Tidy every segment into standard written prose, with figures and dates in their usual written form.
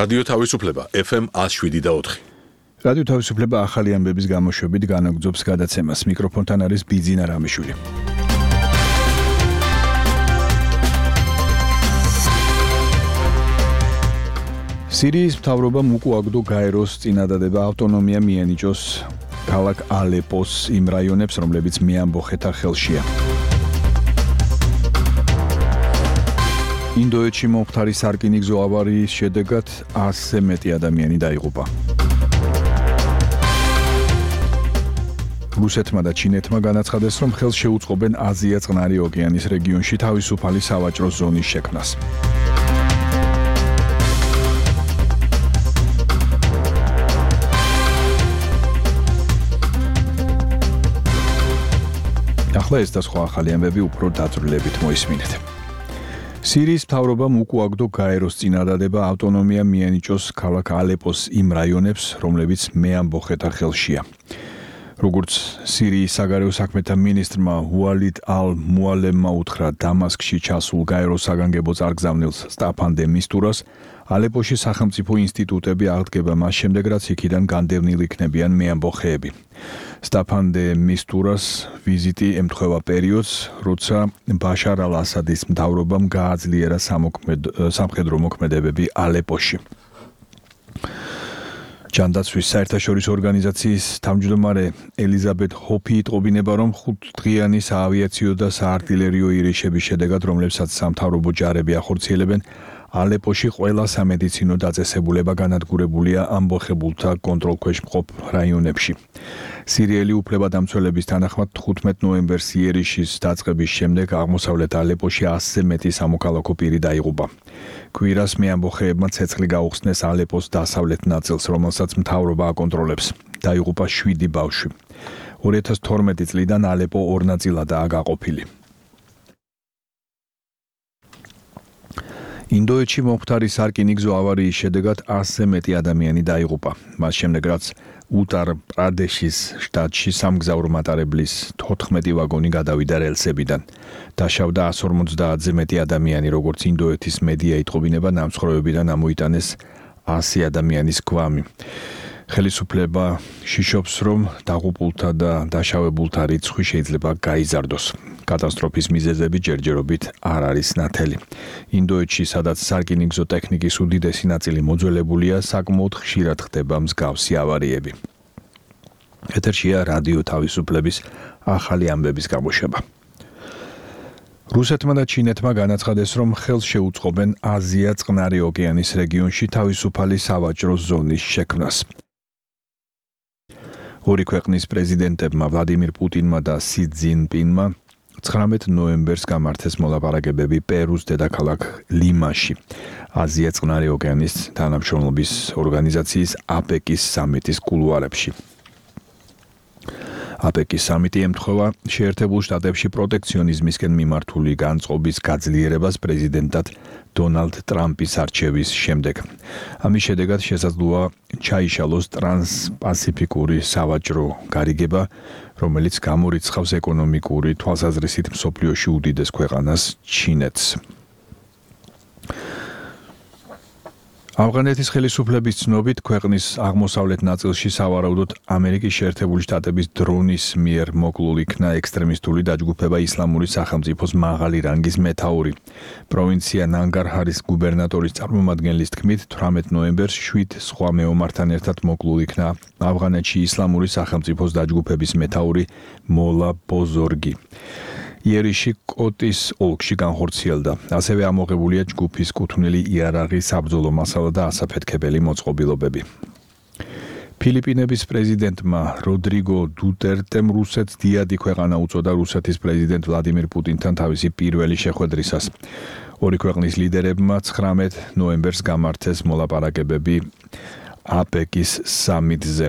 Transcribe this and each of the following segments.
რადიო თავისუფლება FM 107.4. რადიო თავისუფლება ახალი ამბების გამოშვებით განაგრძობს გადაცემას. მიკროფონთან არის ბიძინა რამიშვილი. სირიის მთავრობამ უკუაგდო გაეროს წინადადება ავტონომია მიენიჭოს ქალაქ ალეპოს იმ რაიონებს, რომლებიც მეამბოხეთა ხელშია. ინდოეთში მომხდარი სარკინიგზო ავარიის შედეგად 100-ზე მეტი ადამიანი დაიღუპა. რუსეთმა და ჩინეთმა განაცხადეს, რომ ხელს შეუწყობენ აზია-წყნარი ოკეანის რეგიონში თავისუფალი სავაჭრო ზონის შექმნას. ახლა ეს და სხვა ახალი ამბები უფრო დაწვრილებით მოისმინეთ. სირიის მთავრობამ უკუაგდო გაეროს წინადადება ავტონომია მიენიჭოს ქალაქ ალეპოს იმ რაიონებს, რომლებიც მეამბოხეთა ხელშია. როგორც სირიის საგარეო საქმეთა მინისტრმა უალიდ ალ-მუალემმა უთხრა დამასკში ჩასულ გაეროს საგანგებო წარგზავნილს სტაფან დე მისტურას, ალეპოში სახელმწიფო ინსტიტუტები აღდგება მას შემდეგ, რაც იქიდან განდევნილი იქნებიან მეამბოხეები. სტაფან დე მისტურას ვიზიტი ემთხვევა პერიოდს, როცა ბაშარ ალ-ასადის მთავრობამ გააძლიერა სამხედრო მოქმედებები ალეპოში. ჯანდაცვის საერთაშორისო ორგანიზაციის თავმჯდომარე ელიზაბეთ ჰოფი იტყობინება, რომ 5 დღიანი საავიაციო და საარტილერიო ირიშების შედეგად, რომლებსაც სამთავრობო ჯარები ახორციელებენ, ალეპოში ყველა სამედიცინო დაწესებულება განადგურებულია ამბოხებულთა კონტროლქვეშ მყოფ რაიონებში. სირიელი უფლებადამცველების თანახმად 15 ნოემბერს იერიშის დაწყების შემდეგ აღმოსავლეთ ალეპოში 100-ზე მეტი სამოქალაქო პირი დაიღუპა. კვირას მეამბოხეებმა ცეცხლი გაუხსნეს ალეპოს დასავლეთ ნაწილს, რომელსაც მთავრობა აკონტროლებს. დაიღუპა 7 ბავშვი. 2012 წლიდან ალეპო ორ ნაწილადაა გაყოფილი. ინდოეთში მომხდარი სარკინიგზო ავარიის შედეგად 100-ზე მეტი ადამიანი დაიღუპა. მას შემდეგ, რაც უტარ-პრადეშის შტატში სამგზავრო მატარებლის 14 ვაგონი გადავიდა რელსებიდან. დაშავდა 150-ზე მეტი ადამიანი, როგორც ინდოეთის მედია იტყობინება, ნამსხვრევებიდან ამოიტანეს 100 ადამიანის გვამი. ხელისუფლება შიშობს, რომ დაღუპულთა და დაშავებულთა რიცხვი შეიძლება გაიზარდოს. კატასტროფის მიზეზები ჯერჯერობით არ არის ნათელი. ინდოეთში, სადაც სარკინიგზო ტექნიკის უდიდესი ნაწილი მოძველებულია, საკმაოდ ხშირად ხდება მსგავსი ავარიები. ეთერშია რადიო თავისუფლების ახალი ამბების გამოშვება. რუსეთმა და ჩინეთმა განაცხადეს, რომ ხელს შეუწყობენ აზია-წყნარი ოკეანის რეგიონში თავისუფალი სავაჭრო ზონის შექმნას. ორი ქვეყნის პრეზიდენტებმა ვლადიმირ პუტინმა და სი ძინპინმა 19 ნოემბერს გამართეს მოლაპარაკებები პერუს დედაქალაქ ლიმაში, აზია-წყნარი ოკეანის თანამშრომლობის ორგანიზაციის აპეკის სამიტის კულუარებში. აპეკის სამიტი ემთხვევა შეერთებულ შტატებში პროტექციონიზმისკენ მიმართული განწყობის გაძლიერებას პრეზიდენტად დონალდ ტრამპის არჩევის შემდეგ. ამის შედეგად შესაძლოა ჩაიშალოს ტრანსპასიფიკური სავაჭრო გარიგება, რომელიც გამორიცხავს ეკონომიკური თვალსაზრისით მსოფლიოში უდიდეს ქვეყანას ჩინეთს. ავღანეთის ხელისუფლების ცნობით, ქვეყნის აღმოსავლეთ ნაწილში სავარაუდოდ ამერიკის შეერთებული შტატების დრონის მიერ მოკლულ იქნა ექსტრემისტული დაჯგუფება ისლამური სახელმწიფოს მაღალი რანგის მეთაური. პროვინცია ნანგარჰარის გუბერნატორის წარმომადგენლის თქმით, 18 ნოემბერს 7 სხვა მეომართან ერთად მოკლულ იქნა ავღანეთში ისლამური სახელმწიფოს დაჯგუფების მეთაური მოლა ბოზორგი. იერიში კოტის ოლქში განხორციელდა. ასევე ამოღებულია ჯგუფის კუთვნილი იარაღის საბრძოლო მასალა და ასაფეთქებელი მოწყობილობები. ფილიპინების პრეზიდენტმა როდრიგო დუტერტემ რუსეთს დიადი ქვეყანა უწოდა რუსეთის პრეზიდენტ ვლადიმირ პუტინთან თავისი პირველი შეხვედრისას. ორი ქვეყნის ლიდერებმა 19 ნოემბერს გამართეს მოლაპარაკებები აპეკის სამიტზე.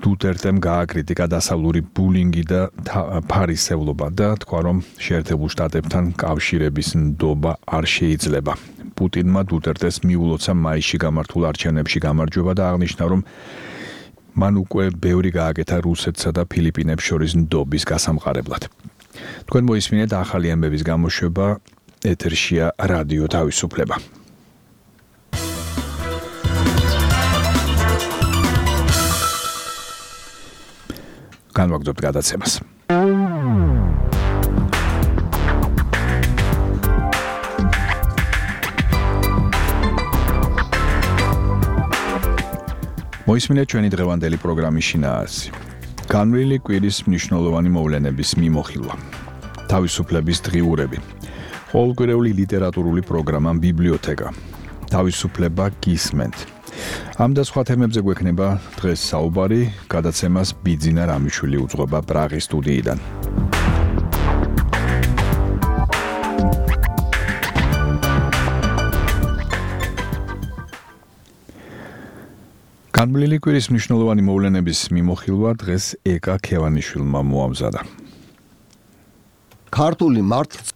დუტერტემ გააკრიტიკა დასავლური ბულინგი და ფარისევლობა და თქვა, რომ შეერთებულ შტატებთან კავშირების ნდობა არ შეიძლება. პუტინმა დუტერტეს მიულოცა მაისში გამართულ არჩევნებში გამარჯვება და აღნიშნა, რომ მან უკვე ბევრი გააკეთა რუსეთსა და ფილიპინებს შორის ნდობის გასამყარებლად. თქვენ მოისმინეთ ახალი ამბების გამოშვება ეთერშია რადიო თავისუფლება. განვაგრძობთ გადაცემას. მოისმინეთ ჩვენი დღევანდელი პროგრამის შინაარსი. განვლილი კვირის მნიშვნელოვანი მოვლენების მიმოხილვა. თავისუფლების დღიურები. ყოველკვირეული ლიტერატურული პროგრამა ბიბლიოთეკა. თავისუფლება გისმენთ. ამ და სხვა თემებზე გვექნება დღეს საუბარი, გადაცემას ბიძინა რამიშვილი უძღვება პრაღის სტუდიიდან. განვლილი კვირის მნიშვნელოვანი მოვლენების მიმოხილვა დღეს ეკა ქევანიშვილმა მოამზადა. ქართული მართლ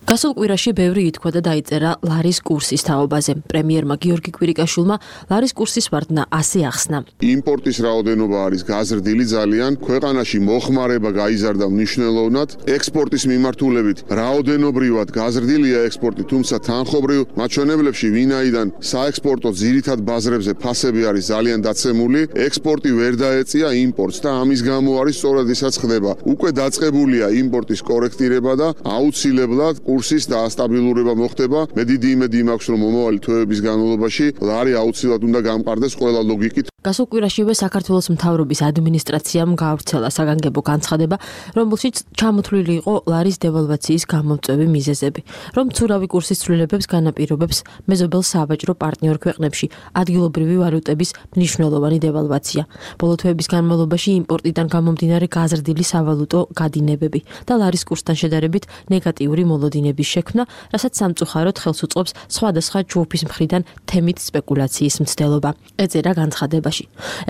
გასულ კვირაში ბევრი ითქვა და დაიწერა ლარის კურსის თაობაზე. პრემიერმა გიორგი კვირიკაშვილმა ლარის კურსის ვარდნა ასე ახსნა. იმპორტის რაოდენობა არის გაზრდილი ძალიან, ქვეყანაში მოხმარება გაიზარდა მნიშვნელოვნად, ექსპორტის მიმართულებით რაოდენობრივად გაზრდილია ექსპორტი, თუმცა თანხობრივ მაჩვენებლებში ვინაიდან საექსპორტო ძირითად ბაზრებზე ფასები არის ძალიან დაცემული, ექსპორტი ვერ დაეწია იმპორტს და ამის გამო არის სწორად ისაც ხდება. უკვე დაწყებულია იმპორტის კორექტირება და აუცილებლად კურსის დაასტაბილურება მოხდება. მე დიდი იმედი მაქვს, რომ მომავალი თვეების განმავლობაში ლარი აუცილებლად უნდა გამყარდეს ყველა ლოგიკით. გასულ კვირაშივე საქართველოს მთავრობის ადმინისტრაციამ გაავრცელა საგანგებო განცხადება, რომელშიც ჩამოთვლილი იყო ლარის დევალვაციის გამომწვევი მიზეზები, რომ მცურავი კურსის ცვლილებებს განაპირობებს მეზობელ სავაჭრო პარტნიორ ქვეყნებში ადგილობრივი ვალუტების მნიშვნელოვანი დევალვაცია. ბოლო თვეების განმავლობაში იმპორტიდან გამომდინარე გაზრდილი სავალუტო გადინებები და ლარის კურსთან შედარებით ნეგატიური მოლოდინების შექმნა, რასაც სამწუხაროდ ხელს უწყობს სხვადასხვა ჯგუფის მხრიდან თემით სპეკულაციის მცდელობა. ეწერა განცხადებაში.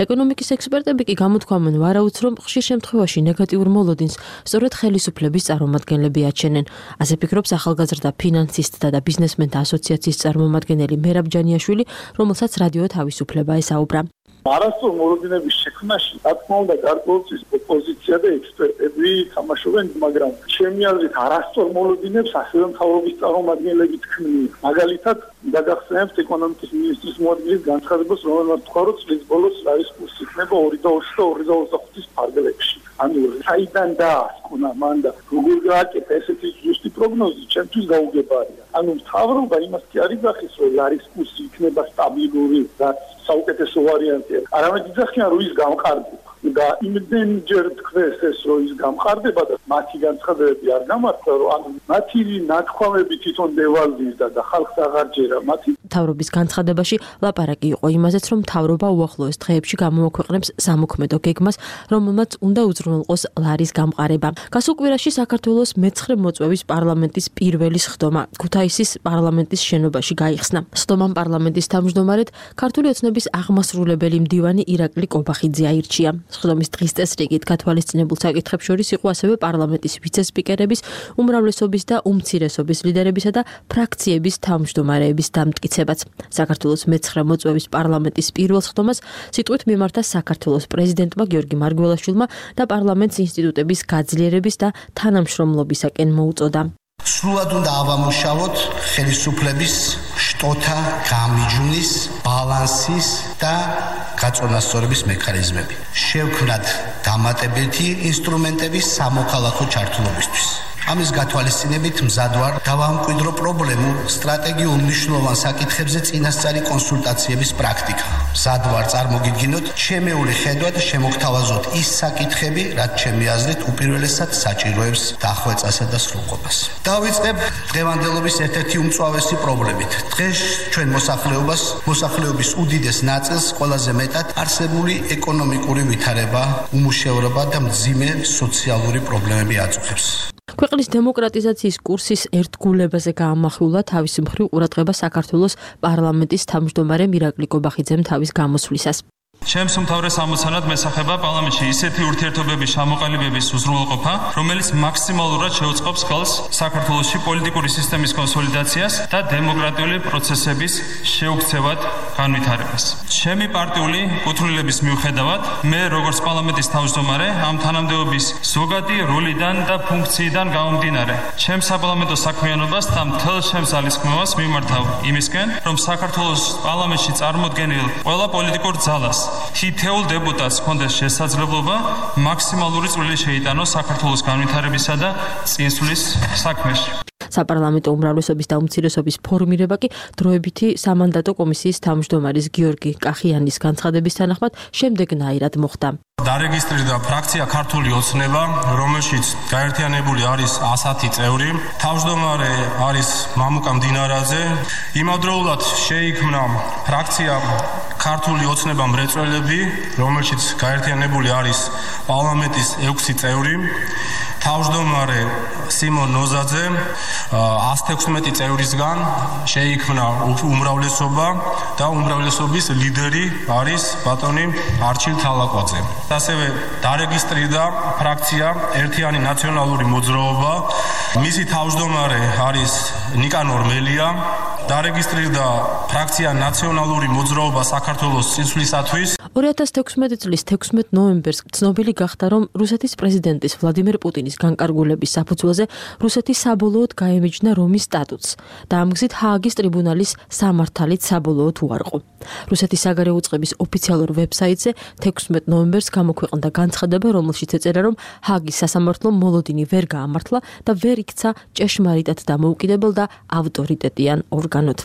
ეკონომიკის ექსპერტები კი გამოთქვამენ ვარაუდს, რომ ხშირ შემთხვევაში ნეგატიურ მოლოდინს სწორედ ხელისუფლების წარმომადგენლები აჩენენ. ასე ფიქრობს ახალგაზრდა ფინანსისტთა და ბიზნესმენთა ასოციაციის წარმომადგენელი მერაბ ჯანიაშვილი, რომელსაც რადიო თავისუფლება ესაუბრა. არასწორ მოლოდინების შექმნაში, რა თქმა უნდა, გარკვეულწლის ოპოზიცია და ექსპერტები თამაშობენ, მაგრამ ჩემი აზრით არასწორ მოლოდინებს ასევე მთავრობის წარმომადგენლები თქმიან. მაგალითად, დაგახსენებთ ეკონომიკის მინისტრის მოადგილის განცხადებას, რომელმაც თქვა, რომ წლის ბოლოს ლარის კურსი იქნება 2.20 და 2.25 ფარგლებში. ანუ საიდან დაასკვნა მან და როგორ გააკეთა ესეთი ზუსტი პროგნოზი, ჩემთვის გაუგებარია. ანუ მთავრობა იმას კი არ იძახის, რომ ლარის კურსი იქნება სტაბილური, რაც საუკეთესო ვარიანტია. არამედ იძახიან, რომ ის გამყარდება. და იმდენჯერ თქვეს ეს, რომ ის გამყარდება და მათი განცხადებები არ გამართლა, რომ ანუ მათი ნათქვამები თვითონ დევალვიზდა და ხალხს აღარ ჯერა მათი. მთავრობის განცხადებაში ლაპარაკი იყო იმაზეც, რომ მთავრობა უახლოეს დღეებში გამოაქვეყნებს სამოქმედო გეგმას, რომელმაც უნდა უზრუნველყოს ლარის გამყარება. გასულ კვირაში საქართველოს მე-9 მოწვევის პარლამენტის პირველი სხდომა ქუთაისის პარლამენტის შენობაში გაიხსნა. სხდომამ პარლამენტის თავმჯდომარედ ქართული ოცნების აღმასრულებელი მდივანი ირაკლი კობახიძე აირჩია. სხდომის დღის წესრიგით გათვალისწინებულ საკითხებს შორის იყო ასევე პარლამენტის ვიცე-სპიკერების, უმრავლესობის და უმცირესობის ლიდერებისა და ფრაქციების თავმჯდომარეების დამტკიცებაც. საქართველოს მე-9 მოწვევის პარლამენტის პირველ სხდომას სიტყვით მიმართა საქართველოს პრეზიდენტმა გიორგი მარგველაშვილმა და პარლამენტის ინსტიტუტების გაძლიერების და თანამშრომლობისაკენ მოუწოდა. სრულად უნდა ავამუშავოთ ხელისუფლების შტოთა გამიჯვნის, ბალანსის და გაწონასწორების მექანიზმები. შევქმნათ დამატებითი ინსტრუმენტები სამოქალაქო ჩართულობისთვის. ამის გათვალისწინებით მზად ვარ დავამკვიდრო პრობლემურ სტრატეგიულ მნიშვნელოვან საკითხებზე წინასწარი კონსულტაციების პრაქტიკა. მზად ვარ წარმოგიდგინოთ ჩემეული ხედვად შემოგთავაზოთ ის საკითხები, რაც ჩემი აზრით უპირველესად საჭიროებს დახვეწასა და სრულყოფას. დავიწყებ დღევანდელობის ერთ-ერთი უმწვავესი პრობლემით. დღეს ჩვენ მოსახლეობის უდიდეს ნაწილს ყველაზე მეტად არსებული ეკონომიკური ვითარება, უმუშევრობა და მძიმე სოციალური პრობლემები აწუხებს. ქვეყნის დემოკრატიზაციის კურსის ერთგულებაზე გაამახვილა თავისი მხრივ ყურადღება საქართველოს პარლამენტის თავმჯდომარე ირაკლი კობახიძემ თავის გამოსვლისას. ჩემს უმთავრეს ამოცანად მესახება პარლამენტში ისეთი ურთიერთობების ჩამოყალიბების უზრუნველყოფა, რომელიც მაქსიმალურად შეუწყობს ხელს საქართველოში პოლიტიკური სისტემის კონსოლიდაციას და დემოკრატიული პროცესების შეუქცევად განვითარებას. ჩემი პარტიული კუთვნილების მიუხედავად, მე როგორც პარლამენტის თავმჯდომარე ამ თანამდებობის ზოგადი როლიდან და ფუნქციიდან გამომდინარე, ჩემს საპარლამენტო საქმიანობას და მთელ ჩემს ძალისხმევას მიმართავ იმისკენ, რომ საქართველოს პარლამენტში წარმოდგენილ ყველა პოლიტიკურ ძალას თითოეულ დეპუტატს ჰქონდეს შესაძლებლობა მაქსიმალური წვლილი შეიტანოს საქართველოს განვითარებისა და წინსვლის საქმეში. საპარლამენტო უმრავლესობის და უმცირესობის ფორმირება კი დროებითი სამანდატო კომისიის თავმჯდომარის გიორგი კახიანის განცხადების თანახმად შემდეგნაირად მოხდა. დარეგისტრირდა ფრაქცია ქართული ოცნება, რომელშიც გაერთიანებული არის 110 წევრი. თავმჯდომარე არის მამუკა მდინარაძე. იმავდროულად შეიქმნა ფრაქცია ქართული ოცნება მრეწველები, რომელშიც გაერთიანებული არის პარლამენტის 6 წევრი. თავმჯდომარე სიმონ ნოზაძე 116 წევრისგან შეიქმნა უმრავლესობა და უმრავლესობის ლიდერი არის ბატონი არჩილ თალაკვაძე. ასევე დარეგისტრირდა ფრაქცია ერთიანი ნაციონალური მოძრაობა. მისი თავმჯდომარე არის ნიკანორ მელია. დარეგისტრირდა ფრაქცია ნაციონალური მოძრაობა საქართველოს წინსვლისათვის. 2016 წლის 16 ნოემბერს ცნობილი გახდა, რომ რუსეთის პრეზიდენტის ვლადიმერ პუტინის განკარგულების საფუძველზე რუსეთი საბოლოოდ გაემიჯნა რომის სტატუტს და ამ გზით ჰააგის ტრიბუნალის სამართალით საბოლოოდ უარყო. რუსეთის საგარეო უწყების ოფიციალურ ვებსაიტზე 16 ნოემბერს გამოქვეყნდა განცხადება, რომელშიც ეწერა, რომ ჰააგის სასამართლომ მოლოდინი ვერ გაამართლა და ვერ იქცა ჭეშმარიტად დამოუკიდებელ და ავტორიტეტიან ორგანოდ.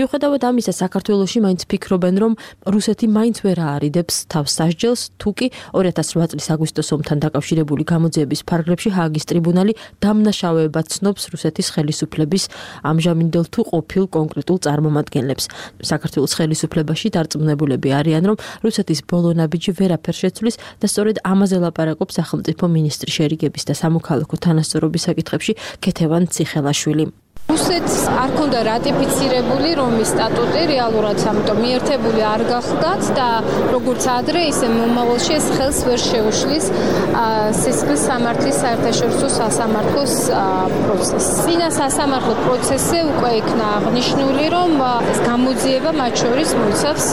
მიუხედავად ამისა, საქართველოში მაინც ფიქრობენ, რომ რუსეთი მაინც ვერ არიდებს თავს სასჯელს, თუკი 2008 წლის აგვისტოს ომთან დაკავშირებული გამოძიების ფარგლებში ჰააგის ტრიბუნალი დამნაშავეებად ცნობს რუსეთის ხელისუფლების ამჟამინდელ თუ ყოფილ კონკრეტულ წარმომადგენლებს. საქართველოს ხელისუფლებაში დარწმუნებულები არიან, რომ რუსეთის ბოლო ნაბიჯი ვერაფერ შეცვლის და სწორედ ამაზე ლაპარაკობს სახელმწიფო მინისტრი შერიგების და სამოქალაქო თანასწორობის საკითხებში ქეთევან ციხელაშვილი. რუსეთს არ ქონდა რატიფიცირებული რომის სტატუტი, რეალურად ამიტომ მიერთებული არ გახდათ და როგორც ადრე, ისე მომავალში ეს ხელს ვერ შეუშლის სისხლის სამართლის საერთაშორისო სასამართლოს პროცესს. წინა სასამართლო პროცესზე უკვე იქნა აღნიშნული, რომ ეს გამოძიება მათ შორის მოიცავს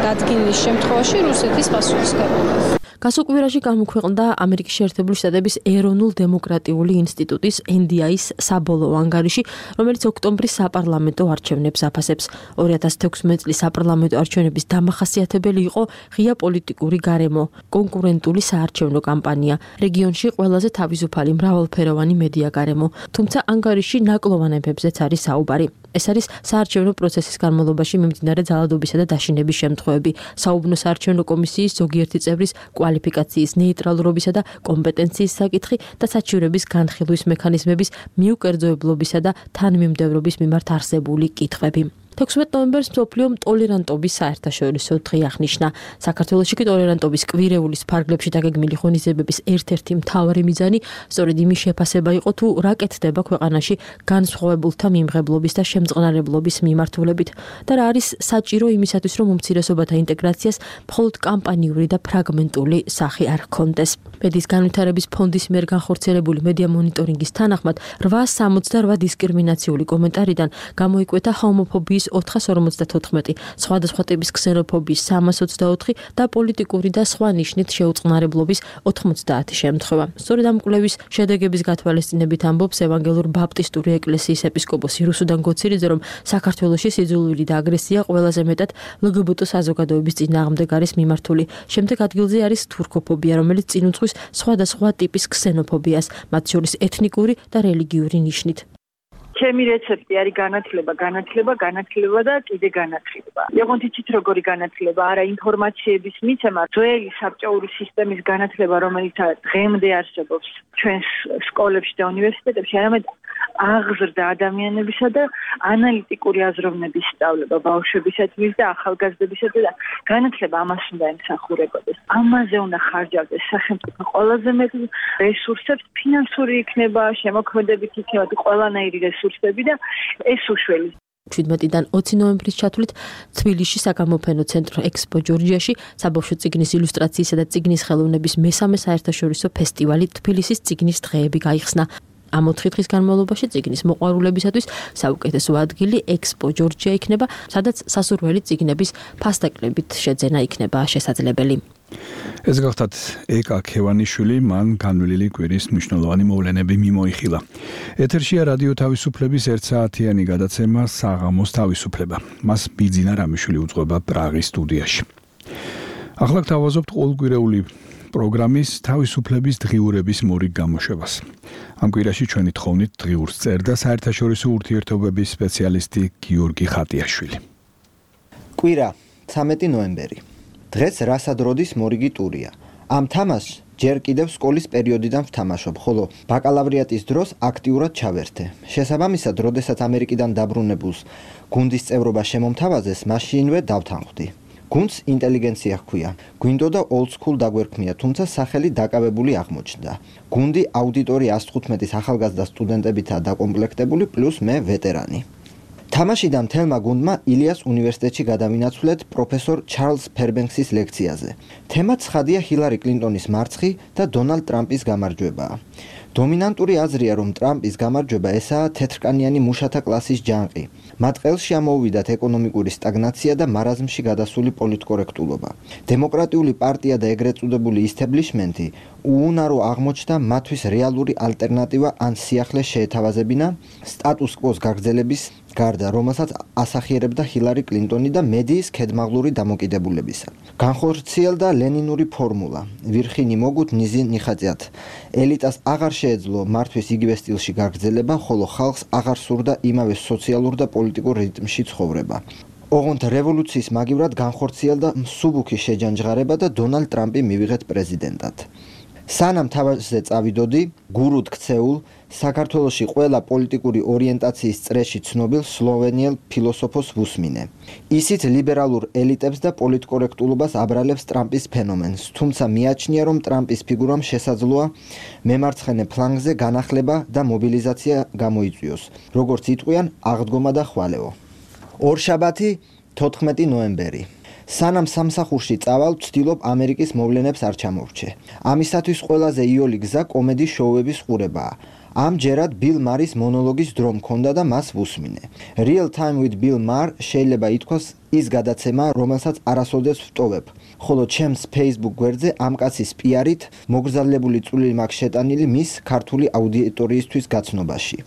დადგენის შემთხვევაში რუსეთის პასუხისმგებლობას. გასულ კვირაში გამოქვეყნდა ამერიკის შეერთებული შტატების ეროვნულ დემოკრატიული ინსტიტუტის NDI-ის საბოლოო ანგარიში, რომელიც ოქტომბრის საპარლამენტო არჩევნებს აფასებს. 2016 წლის საპარლამენტო არჩევნების დამახასიათებელი იყო ღია პოლიტიკური გარემო, კონკურენტული საარჩევნო კამპანია, რეგიონში ყველაზე თავისუფალი მრავალფეროვანი მედია გარემო. თუმცა ანგარიში ნაკლოვანებებზეც არის საუბარი. ეს არის საარჩევნო პროცესის განმავლობაში მიმდინარე ძალადობისა და დაშინების შემთხვევები, საუბნო საარჩევნო კომისიის ზოგიერთი წევრის კვალიფიკაციის ნეიტრალურობისა და კომპეტენციის საკითხი და საჩივრების განხილვის მექანიზმების მიუკერძოებლობისა და თანმიმდევრობის მიმართ არსებული კითხვები. 16 ნოემბერს მსოფლიომ ტოლერანტობის საერთაშორისო დღე აღნიშნა. საქართველოში კი ტოლერანტობის კვირეულის ფარგლებში დაგეგმილი ღონისძიებების ერთ-ერთი მთავარი მიზანი სწორედ იმის შეფასება იყო, თუ რა კეთდება ქვეყანაში განსხვავებულთა მიმღებლობის და შემწყნარებლობის მიმართულებით და რა არის საჭირო იმისათვის, რომ უმცირესობათა ინტეგრაციას მხოლოდ კამპანიური და ფრაგმენტული სახე არ ჰქონდეს. მედიის განვითარების ფონდის მიერ განხორციელებული მედია მონიტორინგის თანახმად 868 დისკრიმინაციული კომენტარიდან გამოიკვეთა ჰომოფობიის 454, სხვადასხვა ტიპის ქსენოფობიის 324 და პოლიტიკური და სხვა ნიშნით შეუწყნარებლობის 90 შემთხვევა. სწორედ ამ კვლევის შედეგების გათვალისწინებით ამბობს ევანგელურ ბაპტისტური ეკლესიის ეპისკოპოსი რუსუდან გოცირიძე, რომ საქართველოში სიძულვილი და აგრესია ყველაზე მეტად LGBT საზოგადოების წინააღმდეგ არის მიმართული. შემდეგ ადგილზე არის თურქოფობია, რომელიც წინ უძღვის სხვადასხვა ტიპის ქსენოფობიას, მათ შორის ეთნიკური და რელიგიური ნიშნით. ჩემი რეცეპტი არის განათლება და კიდე განათლება. ოღონდ იცით როგორი განათლება, არა ინფორმაციების მიცემა, ძველი საბჭოური სისტემის განათლება, რომელიც დღემდე არსებობს ჩვენს სკოლებში და უნივერსიტეტებში, არამედ აღზრდა ადამიანებისა და ანალიტიკური აზროვნების სწავლება ბავშვებისათვის და ახალგაზრდებისათვის და განათლება ამას უნდა ემსახურებოდეს. ამაზე უნდა ხარჯავდეს სახელმწიფო ყველაზე მეტ რესურსებს, ფინანსური იქნება, შემოქმედებით იქნება ყველანაირი რესურსები და ეს უშველის 17-დან 20 ნოემბრის ჩათვლით თბილისში საგამოფენო ცენტრ ექსპო ჯორჯიაში საბავშვო წიგნის ილუსტრაციისა და წიგნის ხელოვნების მესამე საერთაშორისო ფესტივალი თბილისის წიგნის დღეები გაიხსნა. ამ 4 დღის განმავლობაში წიგნის მოყვარულებისათვის საუკეთესო ადგილი ექსპო ჯორჯია იქნება, სადაც სასურველი წიგნების ფასდაკლებით შეძენა იქნება შესაძლებელი. ეს გახლავთ ეკა ქევანიშვილი, მან განვლილი კვირის მნიშვნელოვანი მოვლენები მიმოიხილა. ეთერშია რადიო თავისუფლების 1 საათიანი გადაცემა საღამოს თავისუფლება. მას ბიძინა რამიშვილი უძღვება პრაღის სტუდიაში. ახლა გთავაზობთ ყოველკვირეული პროგრამის თავისუფლების დღიურების მორიგ გამოშვებას. ამ კვირაში ჩვენი თხოვნით დღიურს წერდა საერთაშორისო ურთიერთობების სპეციალისტი გიორგი ხატიაშვილი. კვირა 13 ნოემბერი. დღეს რასადროდის მორიგი ტურია. ამ თამაშს ჯერ კიდევ სკოლის პერიოდიდან ვთამაშობ, ხოლო ბაკალავრიატის დროს აქტიურად ჩავერთე. შესაბამისად, როდესაც ამერიკიდან დაბრუნებულს გუნდის წევრობა შემომთავაზეს, მაშინვე დავთანხმდი. გუნდს ინტელიგენცია ჰქვია. გვინდოდა old school დაგვერქმია, თუმცა სახელი დაკავებული აღმოჩნდა. გუნდი აუდიტორი 115-ის ახალგაზრდა სტუდენტებითაა დაკომპლექტებული, პლუს მე ვეტერანი. თამაში და მთელმა გუნდმა ილიას უნივერსიტეტში გადავინაცვლეთ პროფესორ ჩარლზ ფერბენქსის ლექციაზე. თემა ცხადია ჰილარი კლინტონის მარცხი და დონალდ ტრამპის გამარჯვებაა. დომინანტური აზრია, რომ ტრამპის გამარჯვება ესაა თეთრკანიანი მუშათა კლასის ჯანყი. მათ ყელში ამოუვიდათ ეკონომიკური სტაგნაცია და მარაზმში გადასული პოლიტკორექტულობა. დემოკრატიული პარტია და ეგრეთ წოდებული ისთებლიშმენტი უუნარო აღმოჩნდა მათთვის რეალური ალტერნატივა ან სიახლე შეეთავაზებინა სტატუს კვოს გაგრძელების გარდა, რომელსაც ასახიერებდა ჰილარი კლინტონი და მედიის ქედმაღლური დამოკიდებულებისა. განხორციელდა ლენინური ფორმულა: ვირხინი მოგუთ, ნიზი ნიხაწიათ. ელიტას აღარ შეეძლო მართვის იგივე სტილში გაგრძელება, ხოლო ხალხს აღარ სურდა იმავე სოციალურ და პოლიტიკურ რიტმში ცხოვრება. ოღონდ რევოლუციის მაგივრად განხორციელდა მსუბუქი შეჯანჯღარება და დონალდ ტრამპი მივიღეთ პრეზიდენტად. სანამ თავაზე წავიდოდი, გურუდ ქცეულ, საქართველოში ყველა პოლიტიკური ორიენტაციის წრეში ცნობილ სლოვენიელ ფილოსოფოს ვუსმინე. ისიც ლიბერალურ ელიტებს და პოლიტკორექტულობას აბრალებს ტრამპის ფენომენს, თუმცა მიაჩნია, რომ ტრამპის ფიგურამ შესაძლოა მემარცხენე ფლანგზე განახლება და მობილიზაცია გამოიწვიოს, როგორც იტყვიან, აღდგომა და ხვალეო. ორშაბათი 14 ნოემბერი. სანამ სამსახურში წავალ, ვცდილობ ამერიკის მოვლენებს არ ჩამოვრჩე. ამისათვის ყველაზე იოლი გზა კომედის შოუების ყურებაა. ამჯერად ბილ მარის მონოლოგის დრო მქონდა და მას ვუსმინე. Real Time with Bill Maher შეიძლება ითქვას ის გადაცემა, რომელსაც არასოდეს ვტოვებ. ხოლო ჩემს Facebook გვერდზე ამ კაცის პიარით მოგზაურებული წვლილი მაქვს შეტანილი მის ქართული აუდიტორიისთვის გაცნობაში.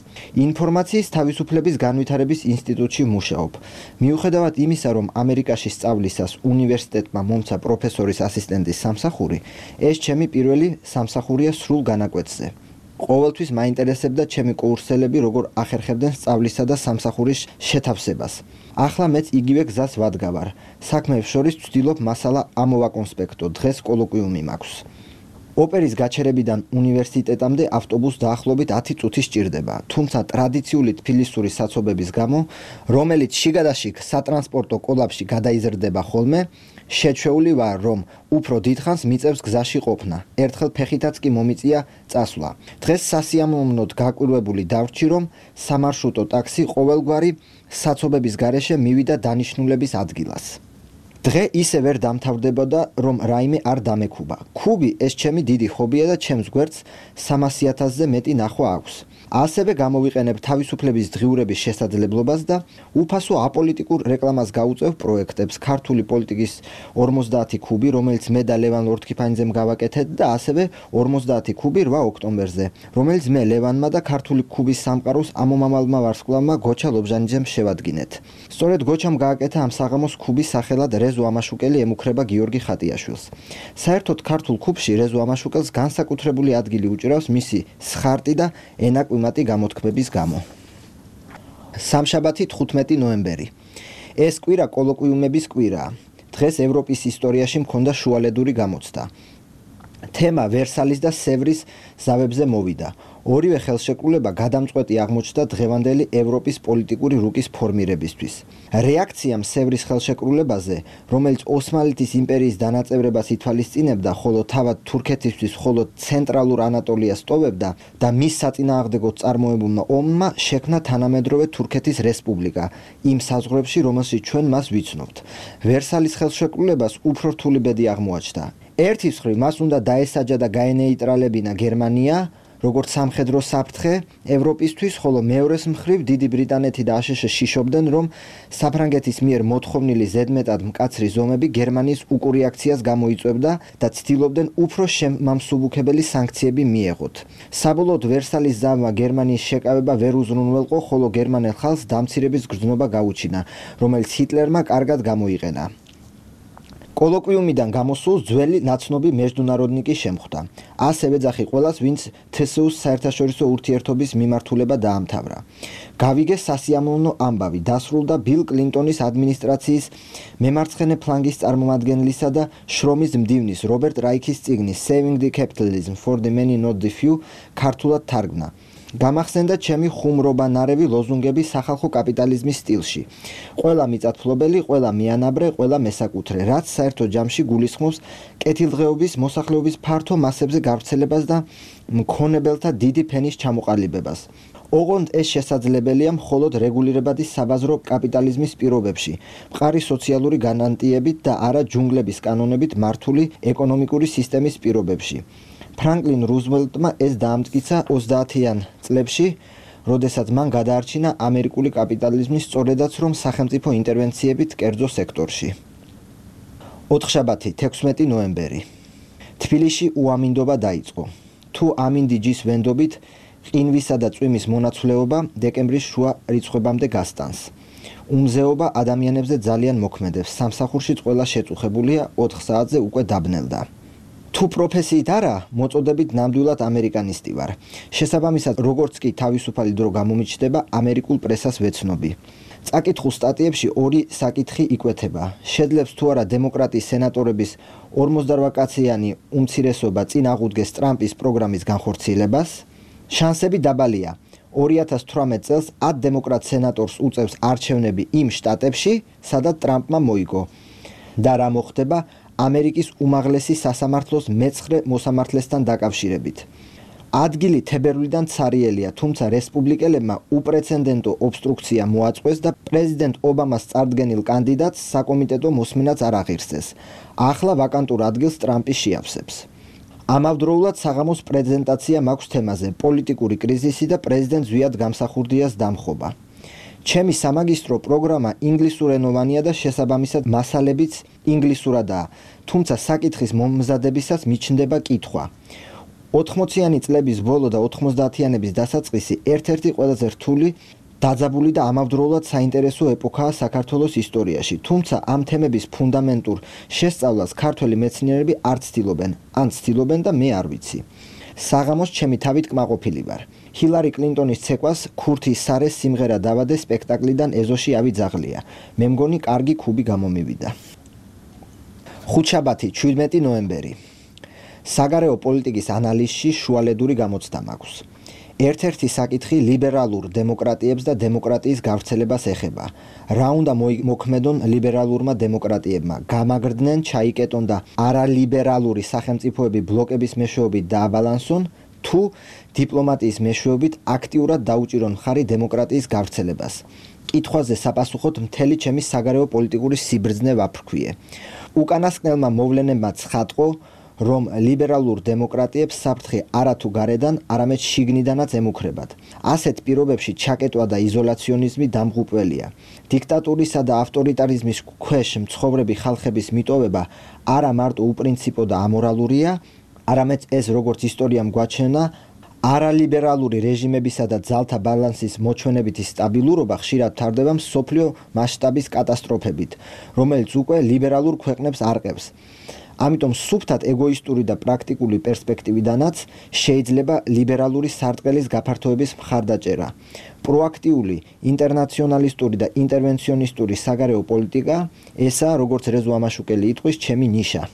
ინფორმაციის თავისუფლების განვითარების ინსტიტუტში მუშაობ. მიუხედავად იმისა, რომ ამერიკაში სწავლისას უნივერსიტეტმა მომცა პროფესორის ასისტენტის სამსახური, ეს ჩემი პირველი სამსახურია სრულ განაკვეთზე. ყოველთვის მაინტერესებდა ჩემი კურსელები როგორ ახერხებდნენ სწავლისა და სამსახურის შეთავსებას. ახლა მეც იგივე გზას ვადგავარ. საქმეებს შორის ვცდილობ მასალა ამოვაკონსპექტო, დღეს კოლოკვიუმი მაქვს. ოპერის გაჩერებიდან უნივერსიტეტამდე ავტობუსს დაახლოებით 10 წუთი სჭირდება, თუმცა ტრადიციული თბილისური საცობების გამო, რომელიც შიგადაშიგ სატრანსპორტო კოლაფში გადაიზრდება ხოლმე, შეჩვეული ვარ, რომ უფრო დიდხანს მიწევს გზაში ყოფნა. ერთხელ ფეხითაც კი მომიწია წასვლა. დღეს სასიამოვნოდ გაკვირვებული დავრჩი, რომ სამარშრუტო ტაქსი ყოველგვარი საცობების გარეშე მივიდა დანიშნულების ადგილას. დღე ისე ვერ დამთავრდებოდა, რომ რაიმე არ დამეკუბა. ქუბი ეს ჩემი დიდი ჰობია და ჩემს გვერდს 300,000-ზე მეტი ნახვა აქვს. ასევე გამოვიყენებ თავისუფლების დღიურების შესაძლებლობას და უფასო აპოლიტიკურ რეკლამას გაუწევ პროექტებს ქართული პოლიტიკის 50 ქუბი, რომელიც მე და ლევან ლორთქიფანიძემ გავაკეთეთ და ასევე 50 ქუბი 8 ოქტომბერზე, რომელიც მე ლევანმა და ქართული ქუბის სამყაროს ამომავალმა ვარსკვლავმა გოჩა ლობჟანიძემ შევადგინეთ. სწორედ გოჩამ გააკეთა ამ საღამოს ქუბის სახელად რეზო ამაშუკელი ემუქრება გიორგი ხატიაშვილს. საერთოდ ქართულ ქუბში რეზო ამაშუკელს განსაკუთრებული ადგილი უჭირავს მისი სხარტი და ენაკვიმატი გამოთქმების გამო. სამშაბათი 15 ნოემბერი. ეს კვირა კოლოკვიუმების კვირაა. დღეს ევროპის ისტორიაში მქონდა შუალედური გამოცდა. თემა ვერსალის და სევრის ზავებზე მოვიდა. ორივე ხელშეკრულება გადამწყვეტი აღმოჩნდა დღევანდელი ევროპის პოლიტიკური რუკის ფორმირებისთვის. რეაქციამ სევრის ხელშეკრულებაზე, რომელიც ოსმალეთის იმპერიის დანაწევრებას ითვალისწინებდა, ხოლო თავად თურქეთისთვის მხოლოდ ცენტრალურ ანატოლიას ტოვებდა და მის საწინააღმდეგოდ წარმოებულმა ომმა შექმნა თანამედროვე თურქეთის რესპუბლიკა, იმ საზღვრებში, რომელშიც ჩვენ მას ვიცნობთ. ვერსალის ხელშეკრულებას უფრო რთული ბედი აღმოაჩნდა. ერთის მხრივ მას უნდა დაესაჯა და გაენეიტრალებინა გერმანია, როგორც სამხედრო საფრთხე ევროპისთვის, ხოლო მეორეს მხრივ დიდი ბრიტანეთი და აშშ შიშობდნენ, რომ საფრანგეთის მიერ მოთხოვნილი ზედმეტად მკაცრი ზომები გერმანიის უკურიაქციას გამოიწვევდა და ცდილობდნენ უფრო შემამსუბუქებელი სანქციები მიეღოთ. საბოლოოდ ვერსალის ზავმა გერმანიის შეკავება ვერ უზრუნველყო, ხოლო გერმანელ ხალხს დამცირების გრძნობა გაუჩინა, რომელიც ჰიტლერმა კარგად გამოიყენა. კოლოკვიუმიდან გამოსულ ძველი ნაცნობი მეჯდუნაროდნიკი შემხვდა. ასევე ეძახი ყველას, ვინც თსუ-ს საერთაშორისო ურთიერთობის მიმართულება დაამთავრა. გავიგეს სასიამოვნო ამბავი, დასრულდა ბილ კლინტონის ადმინისტრაციის მემარცხენე ფლანგის წარმომადგენლისა და შრომის მდივნის რობერტ რაიქის წიგნის Saving the Capitalism for the Many Not the Few ქართულად თარგმნა. გამახსენდა ჩემი ხუმრობანარევი ლოზუნგები სახალხო კაპიტალიზმის სტილში. ყველა მიწათმფლობელი, ყველა მიანაბრე, ყველა მესაკუთრე, რაც საერთო ჯამში გულისხმობს კეთილდღეობის მოსახლეობის ფართო მასებზე გავრცელებას და მქონებელთა დიდი ფენის ჩამოყალიბებას. ოღონდ ეს შესაძლებელია მხოლოდ რეგულირებადი საბაზრო კაპიტალიზმის პირობებში, მყარი სოციალური განანტიებით და არა ჯუნგლების კანონებით მართული ეკონომიკური სისტემის პირობებში. ფრანკლინ რუზველტმა ეს დაამტკიცა 30-იან წლებში, როდესაც მან გადაარჩინა ამერიკული კაპიტალიზმის სწორედაც რომ სახელმწიფო ინტერვენციებით კერძო სექტორში. ოთხშაბათი, 16 ნოემბერი. თბილისში უამინდობა დაიწყო. თუ ამინდიჯის ვენდობით ყინვისა და წვიმის მონაცვლეობა დეკემბრის შუა რიცხვებამდე გასტანს. უმზეობა ადამიანებზე ძალიან მოქმედებს. სამსახურშიც ყველა შეწუხებულია, 4 საათზე უკვე დაბნელდა. თუ პროფესიით არა, მოწოდებით ნამდვილად ამერიკანისტი ვარ. შესაბამისად, როგორც კი თავისუფალი დრო გამომიჩნდება, ამერიკულ პრესას ვეცნობი. წაკითხულ სტატიებში ორი საკითხი იკვეთება. შეძლებს თუ არა დემოკრატიის სენატორების 48-კაციანი უმცირესობა წინ აღუდგეს ტრამპის პროგრამის განხორციელებას. შანსები დაბალია. 2018 წელს 10 დემოკრატ სენატორს უწევს არჩევნები იმ შტატებში, სადაც ტრამპმა მოიგო. და რა მოხდება ამერიკის უმაღლესი სასამართლოს მე-9 მოსამართლესთან დაკავშირებით. ადგილი თებერვლიდან ცარიელია, თუმცა რესპუბლიკელებმა უპრეცედენტო ობსტრუქცია მოაწყვეს და პრეზიდენტ ობამას წარდგენილ კანდიდატს საკომიტეტო მოსმენაც არ აღირსეს. ახლა ვაკანტურ ადგილს ტრამპი შეავსებს. ამავდროულად საღამოს პრეზენტაცია მაქვს თემაზე პოლიტიკური კრიზისი და პრეზიდენტ ზვიად გამსახურდიას დამხობა. ჩემი სამაგისტრო პროგრამა ინგლისურენოვანია და შესაბამისად მასალებიც ინგლისურადაა, თუმცა საკითხის მომზადებისას მიჩნდება კითხვა. 80-იანი წლების ბოლო და 90-იანების დასაწყისი ერთ-ერთი ყველაზე რთული, დაძაბული და ამავდროულად საინტერესო ეპოქაა საქართველოს ისტორიაში, თუმცა ამ თემების ფუნდამენტურ შესწავლას ქართველი მეცნიერები არ ცდილობენ, ან ცდილობენ და მე არ ვიცი. საღამოს ჩემი თავით კმაყოფილი ვარ. ჰილარი კლინტონის ცეკვას ქურთი სარეს სიმღერა დავადე სპექტაკლიდან ეზოში ავიძაღლია. მე მგონი კარგი ქუბი გამომივიდა. ხუთშაბათი, 17 ნოემბერი. საგარეო პოლიტიკის ანალიზში შუალედური გამოცდა მაქვს. ერთ-ერთი საკითხი ლიბერალურ დემოკრატიებს და დემოკრატიის გავრცელებას ეხება. რა უნდა მოქმედონ ლიბერალურმა დემოკრატიებმა? გამაგრდნენ, ჩაიკეტონ და არალიბერალური სახელმწიფოები ბლოკების მეშვეობით დააბალანსონ, თუ დიპლომატიის მეშვეობით აქტიურად დაუჭირონ მხარი დემოკრატიის გავრცელებას. კითხვაზე საპასუხოდ მთელი ჩემი საგარეო პოლიტიკური სიბრძნე ვაფრქვიე. უკანასკნელმა მოვლენებმა ცხადყო, რომ ლიბერალურ დემოკრატიებს საფრთხე არათუ გარედან, არამედ შიგნიდანაც ემუქრებათ. ასეთ პირობებში ჩაკეტვა და იზოლაციონიზმი დამღუპველია. დიქტატურისა და ავტორიტარიზმის ქვეშ მცხოვრები ხალხების მიტოვება არა მარტო უპრინციპო და ამორალურია, არამედ ეს როგორც ისტორიამ გვაჩვენა, არალიბერალური რეჟიმებისა და ძალთა ბალანსის მოჩვენებითი სტაბილურობა ხშირად თარდება მსოფლიო მასშტაბის კატასტროფებით, რომელიც უკვე ლიბერალურ ქვეყნებს არყევს. ამიტომ სუფთად ეგოისტური და პრაქტიკული პერსპექტივიდანაც შეიძლება ლიბერალური სარტყელის გაფართოების მხარდაჭერა. პროაქტიული, ინტერნაციონალისტური და ინტერვენციონისტური საგარეო პოლიტიკა ესაა, როგორც რეზო ამაშუკელი იტყვის, ჩემი ნიშა.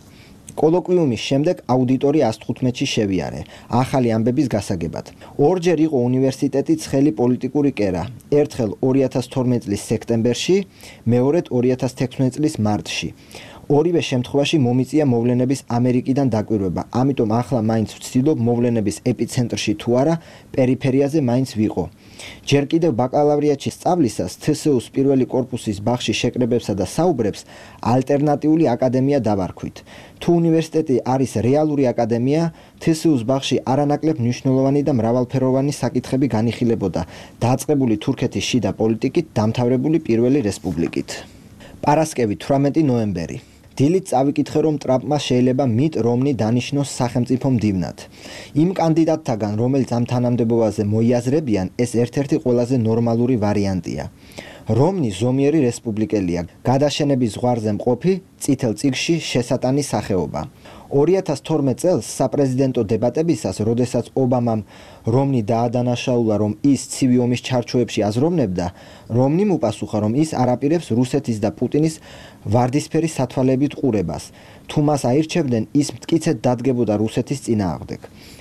კოლოკვიუმის შემდეგ აუდიტორი 115-ში შევიარე, ახალი ამბების გასაგებად. ორჯერ იყო უნივერსიტეტი ცხელი პოლიტიკური კერა, ერთხელ 2012 წლის სექტემბერში, მეორედ 2016 წლის მარტში. ორივე შემთხვევაში მომიწია მოვლენების ამერიკიდან დაკვირვება, ამიტომ ახლა მაინც ვცდილობ მოვლენების ეპიცენტრში თუ არა, პერიფერიაზე მაინც ვიყო. ჯერ კიდევ ბაკალავრიატში სწავლისას თსუ-ს პირველი კორპუსის ბაღში შეკრებებსა და საუბრებს ალტერნატიული აკადემია დავარქვით. თუ უნივერსიტეტი არის რეალური აკადემია, თსუ-ს ბაღში არანაკლებ მნიშვნელოვანი და მრავალფეროვანი საკითხები განიხილებოდა, დაწყებული თურქეთის შიდა პოლიტიკით, დამთავრებული პირველი რესპუბლიკით. პარასკევი, 18 ნოემბერი. დილით წავიკითხე, რომ ტრამპმა შეიძლება მიტ რომნი დანიშნოს სახელმწიფო მდივნად. იმ კანდიდატთაგან, რომელიც ამ თანამდებობაზე მოიაზრებიან, ეს ერთ-ერთი ყველაზე ნორმალური ვარიანტია. რომნი ზომიერი რესპუბლიკელია, გადაშენების ზღვარზე მყოფი წითელ წიგნში შესატანის სახეობა. 2012 წელს საპრეზიდენტო დებატებისას, როდესაც ობამამ რომნი დაადანაშაულა, რომ ის ცივი ომის ჩარჩოებში აზროვნებდა, რომნიმ უპასუხა, რომ ის არაპირებს რუსეთის და პუტინის ვარდისფერი სათვალეებით ყურებას. თუ მას აირჩევდნენ, ის მტკიცედ დადგებოდა რუსეთის წინააღმდეგ.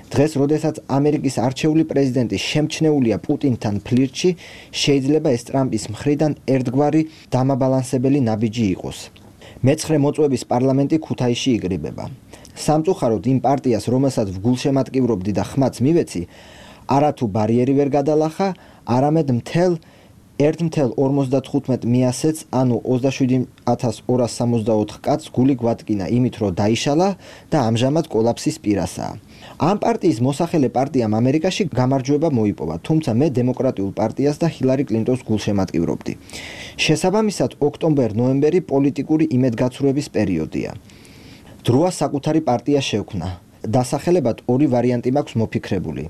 დღეს, როდესაც ამერიკის არჩეული პრეზიდენტი შემჩნეულია პუტინთან ფლირტში, შეიძლება ეს ტრამპის მხრიდან ერთგვარი დამაბალანსებელი ნაბიჯი იყოს. მე-9 მოწვევის პარლამენტი ქუთაისში იკრიბება. სამწუხაროდ იმ პარტიას, რომელსაც ვგულშემატკივრობდი და ხმაც მივეცი, არათუ ბარიერი ვერ გადალახა, არამედ 1,55 მიასეც, ანუ 27,264 კაცს გული გვადგინა იმით, რომ დაიშალა და ამჟამად კოლაფსის პირასაა. ამ პარტიის მოსახელე პარტიამ ამერიკაში გამარჯვება მოიპოვა, თუმცა მე დემოკრატიულ პარტიას და ჰილარი კლინტონს გულშემატკივრობდი. შესაბამისად, ოქტომბერ-ნოემბერი პოლიტიკური იმედგაცრუების პერიოდია. დროა საკუთარი პარტია შევქმნა. დასახელებად ორი ვარიანტი მაქვს მოფიქრებული.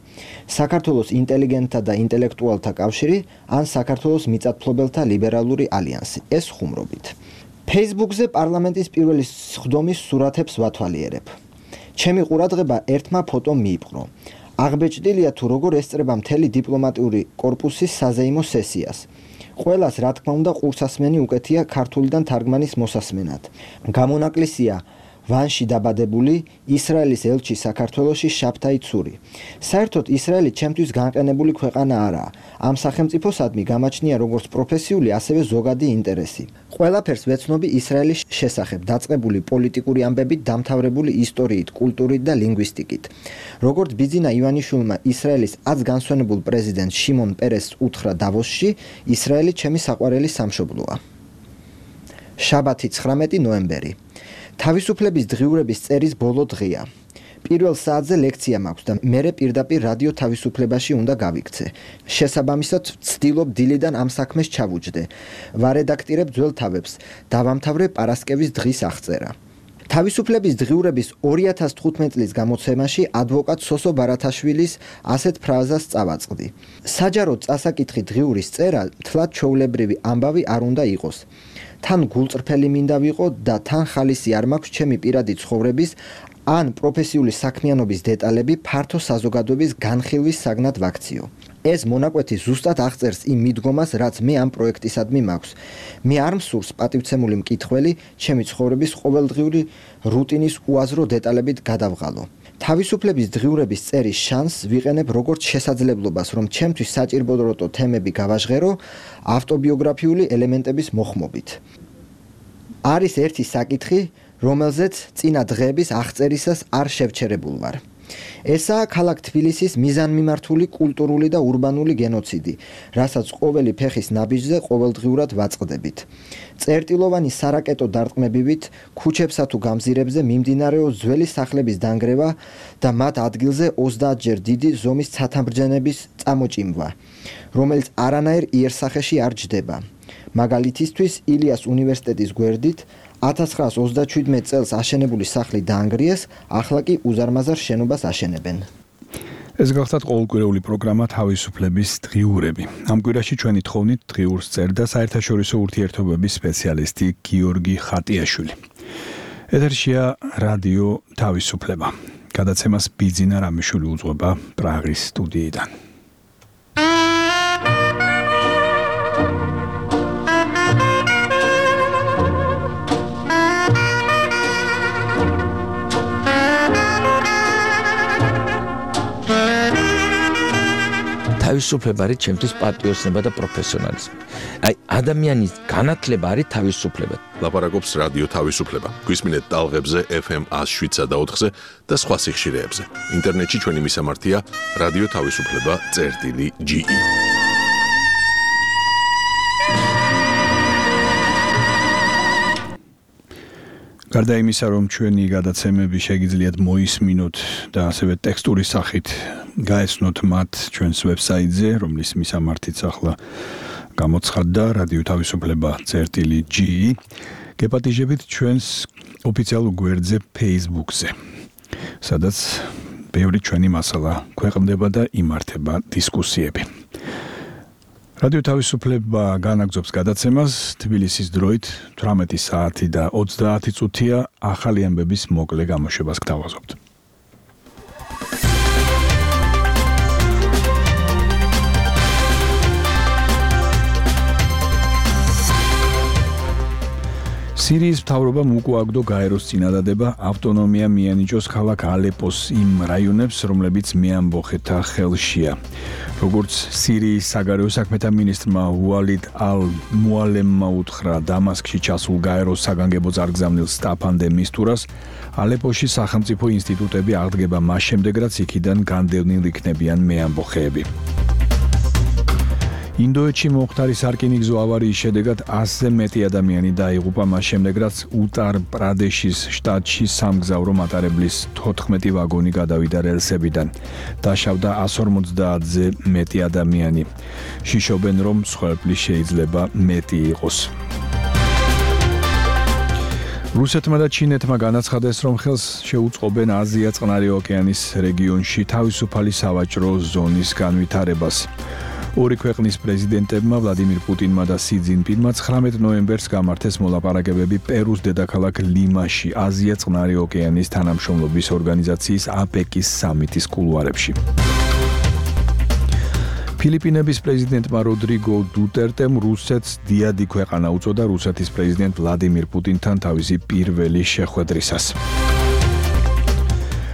საქართველოს ინტელიგენტთა და ინტელექტუალთა კავშირი ან საქართველოს მიწათმფლობელთა ლიბერალური ალიანსი. ეს ხუმრობით. Facebook-ზე პარლამენტის პირველი სხდომის სურათებს ვათვალიერებ. ჩემი ყურადღება ერთმა ფოტომ მიიპყრო. აღბეჭდილია თუ როგორ ესწრება მთელი დიპლომატიური კორპუსის საზეიმო სესიას. ყველას რა თქმა უნდა ყურსასმენი უკეთია ქართულიდან თარგმანის მოსასმენად. გამონაკლისია ვანში დაბადებული ისრაელის ელჩი საქართველოში შაბთაი ცური. საერთოდ ისრაელი ჩემთვის განყენებული ქვეყანა არაა. ამ სახელმწიფოსადმი გამაჩნია როგორც პროფესიული, ასევე ზოგადი ინტერესი. ყველაფერს ვეცნობი ისრაელის შესახებ, დაწყებული პოლიტიკური ამბებით, დამთავრებული ისტორიით, კულტურით და ლინგვისტიკით. როგორც ბიძინა ივანიშვილმა ისრაელის აც განსვენებულ პრეზიდენტ შიმონ პერესს უთხრა დავოსში, ისრაელი ჩემი საყვარელი სამშობლოა. შაბათი 19 ნოემბერი. თავისუფლების დღიურების წერის ბოლო დღეა. პირველ საათზე ლექცია მაქვს და მერე პირდაპირ რადიო თავისუფლებაში უნდა გავიქცე. შესაბამისად, ვცდილობ დილიდან ამ საქმეს ჩავუჯდე. ვარედაქტირებ ძველ თავებს, დავამთავრე პარასკევის დღის აღწერა. თავისუფლების დღიურების 2015 წლის გამოცემაში ადვოკატ სოსო ბარათაშვილის ასეთ ფრაზას წავაწყდი. საჯაროდ წასაკითხი დღიურის წერა თლად ჩვეულებრივი ამბავი არ უნდა იყოს. თან გულწრფელი მინდა ვიყო და თან ხალისი არ მაქვს ჩემი პირადი ცხოვრების ან პროფესიული საქმიანობის დეტალები ფართო საზოგადოების განხილვის საგნად ვაქციო. ეს მონაკვეთი ზუსტად აღწერს იმ მიდგომას, რაც მე ამ პროექტისადმი მაქვს. მე არ მსურს პატივცემული მკითხველი ჩემი ცხოვრების ყოველდღიური რუტინის უაზრო დეტალებით გადავღალო. თავისუფლების დღიურების წერის შანსს ვიყენებ როგორც შესაძლებლობას, რომ ჩემთვის საჭირბოროტო თემები გავაჟღერო ავტობიოგრაფიული ელემენტების მოხმობით. არის ერთი საკითხი, რომელზეც წინა დღეების აღწერისას არ შევჩერებულ ვარ. ესაა ქალაქ თბილისის მიზანმიმართული კულტურული და ურბანული გენოციდი, რასაც ყოველი ფეხის ნაბიჯზე ყოველდღიურად ვაწყდებით. წერტილოვანი სარაკეტო დარტყმებივით ქუჩებსა თუ გამზირებზე მიმდინარეობს ძველი სახლების დანგრევა და მათ ადგილზე 30 ჯერ დიდი ზომის ცათამბჯენების წამოჭიმვა, რომელიც არანაირ იერსახეში არ ჯდება. მაგალითისთვის, ილიას უნივერსიტეტის გვერდით 1927 წელს აშენებული სახლი დაანგრიეს, ახლა კი უზარმაზარ შენობას აშენებენ. ეს გახლავთ ყოველკვირეული პროგრამა თავისუფლების დღიურები. ამ კვირაში ჩვენი თხოვნით დღიურს წერდა საერთაშორისო ურთიერთობების სპეციალისტი გიორგი ხატიაშვილი. ეთერშია რადიო თავისუფლება. გადაცემას ბიძინა რამიშვილი უძღვება პრაღის სტუდიიდან. თავისუფლება არის ჩემთვის პატრიოტიზმი და პროფესიონალიზმი. აი, ადამიანის განათლება არის თავისუფლება. ლაპარაკობს რადიო თავისუფლება. გვისმინეთ ტალღებზე FM 107.4-ზე და სხვა სიხშირეებზე. ინტერნეტში ჩვენი მისამართია რადიო თავისუფლება.ge. გარდა იმისა, რომ ჩვენი გადაცემები შეგიძლიათ მოისმინოთ და ასევე ტექსტური სახით გაეცნოთ მათ ჩვენს ვებსაიტზე, რომლის მისამართიც ახლა გამოცხადდა რადიო თავისუფლება.ge. გეპატიჟებით ჩვენს ოფიციალურ გვერდზე Facebook-ზე, სადაც ბევრი ჩვენი მასალა ქვეყნდება და იმართება დისკუსიები. რადიო თავისუფლება განაგრძობს გადაცემას თბილისის დროით 18 საათი და 30 წუთია ახალი ამბების მოკლე გამოშვებას გთავაზობთ. სირიის მთავრობამ უკუაგდო გაეროს წინადადება ავტონომია მიანიჭოს ქალაქ ალეპოს იმ რაიონებს, რომლებიც მეამბოხეთა ხელშია. როგორც სირიის საგარეო საქმეთა მინისტრმა ვალიდ ალ-მუალემმა უთხრა დამასკში ჩასულ გაეროს საგანგებო წარგზავნილ სტაფან დე მისტურას, ალეპოში სახელმწიფო ინსტიტუტები აღდგება მას შემდეგ, რაც იქიდან განდევნილ იქნებიან მეამბოხეები. ინდოეთში მომხდარი სარკინიგზო ავარიის შედეგად 100-ზე მეტი ადამიანი დაიღუპა მას შემდეგ, რაც უტარ-პრადეშის შტატში სამგზავრო მატარებლის 14 ვაგონი გადავიდა რელსებიდან. დაშავდა 150-ზე მეტი ადამიანი. შიშობენ, რომ მსხვერპლი შეიძლება მეტი იყოს. რუსეთმა და ჩინეთმა განაცხადეს, რომ ხელს შეუწყობენ აზია-წყნარი ოკეანის რეგიონში თავისუფალი სავაჭრო ზონის განვითარებას. ორი ქვეყნის პრეზიდენტებმა ვლადიმირ პუტინმა და სი ძინპინმა 19 ნოემბერს გამართეს მოლაპარაკებები პერუს დედაქალაქ ლიმაში, აზია-წყნარი ოკეანის თანამშრომლობის ორგანიზაციის აპეკის სამიტის კულუარებში. ფილიპინების პრეზიდენტმა როდრიგო დუტერტემ რუსეთს დიადი ქვეყანა უწოდა რუსეთის პრეზიდენტ ვლადიმირ პუტინთან თავისი პირველი შეხვედრისას.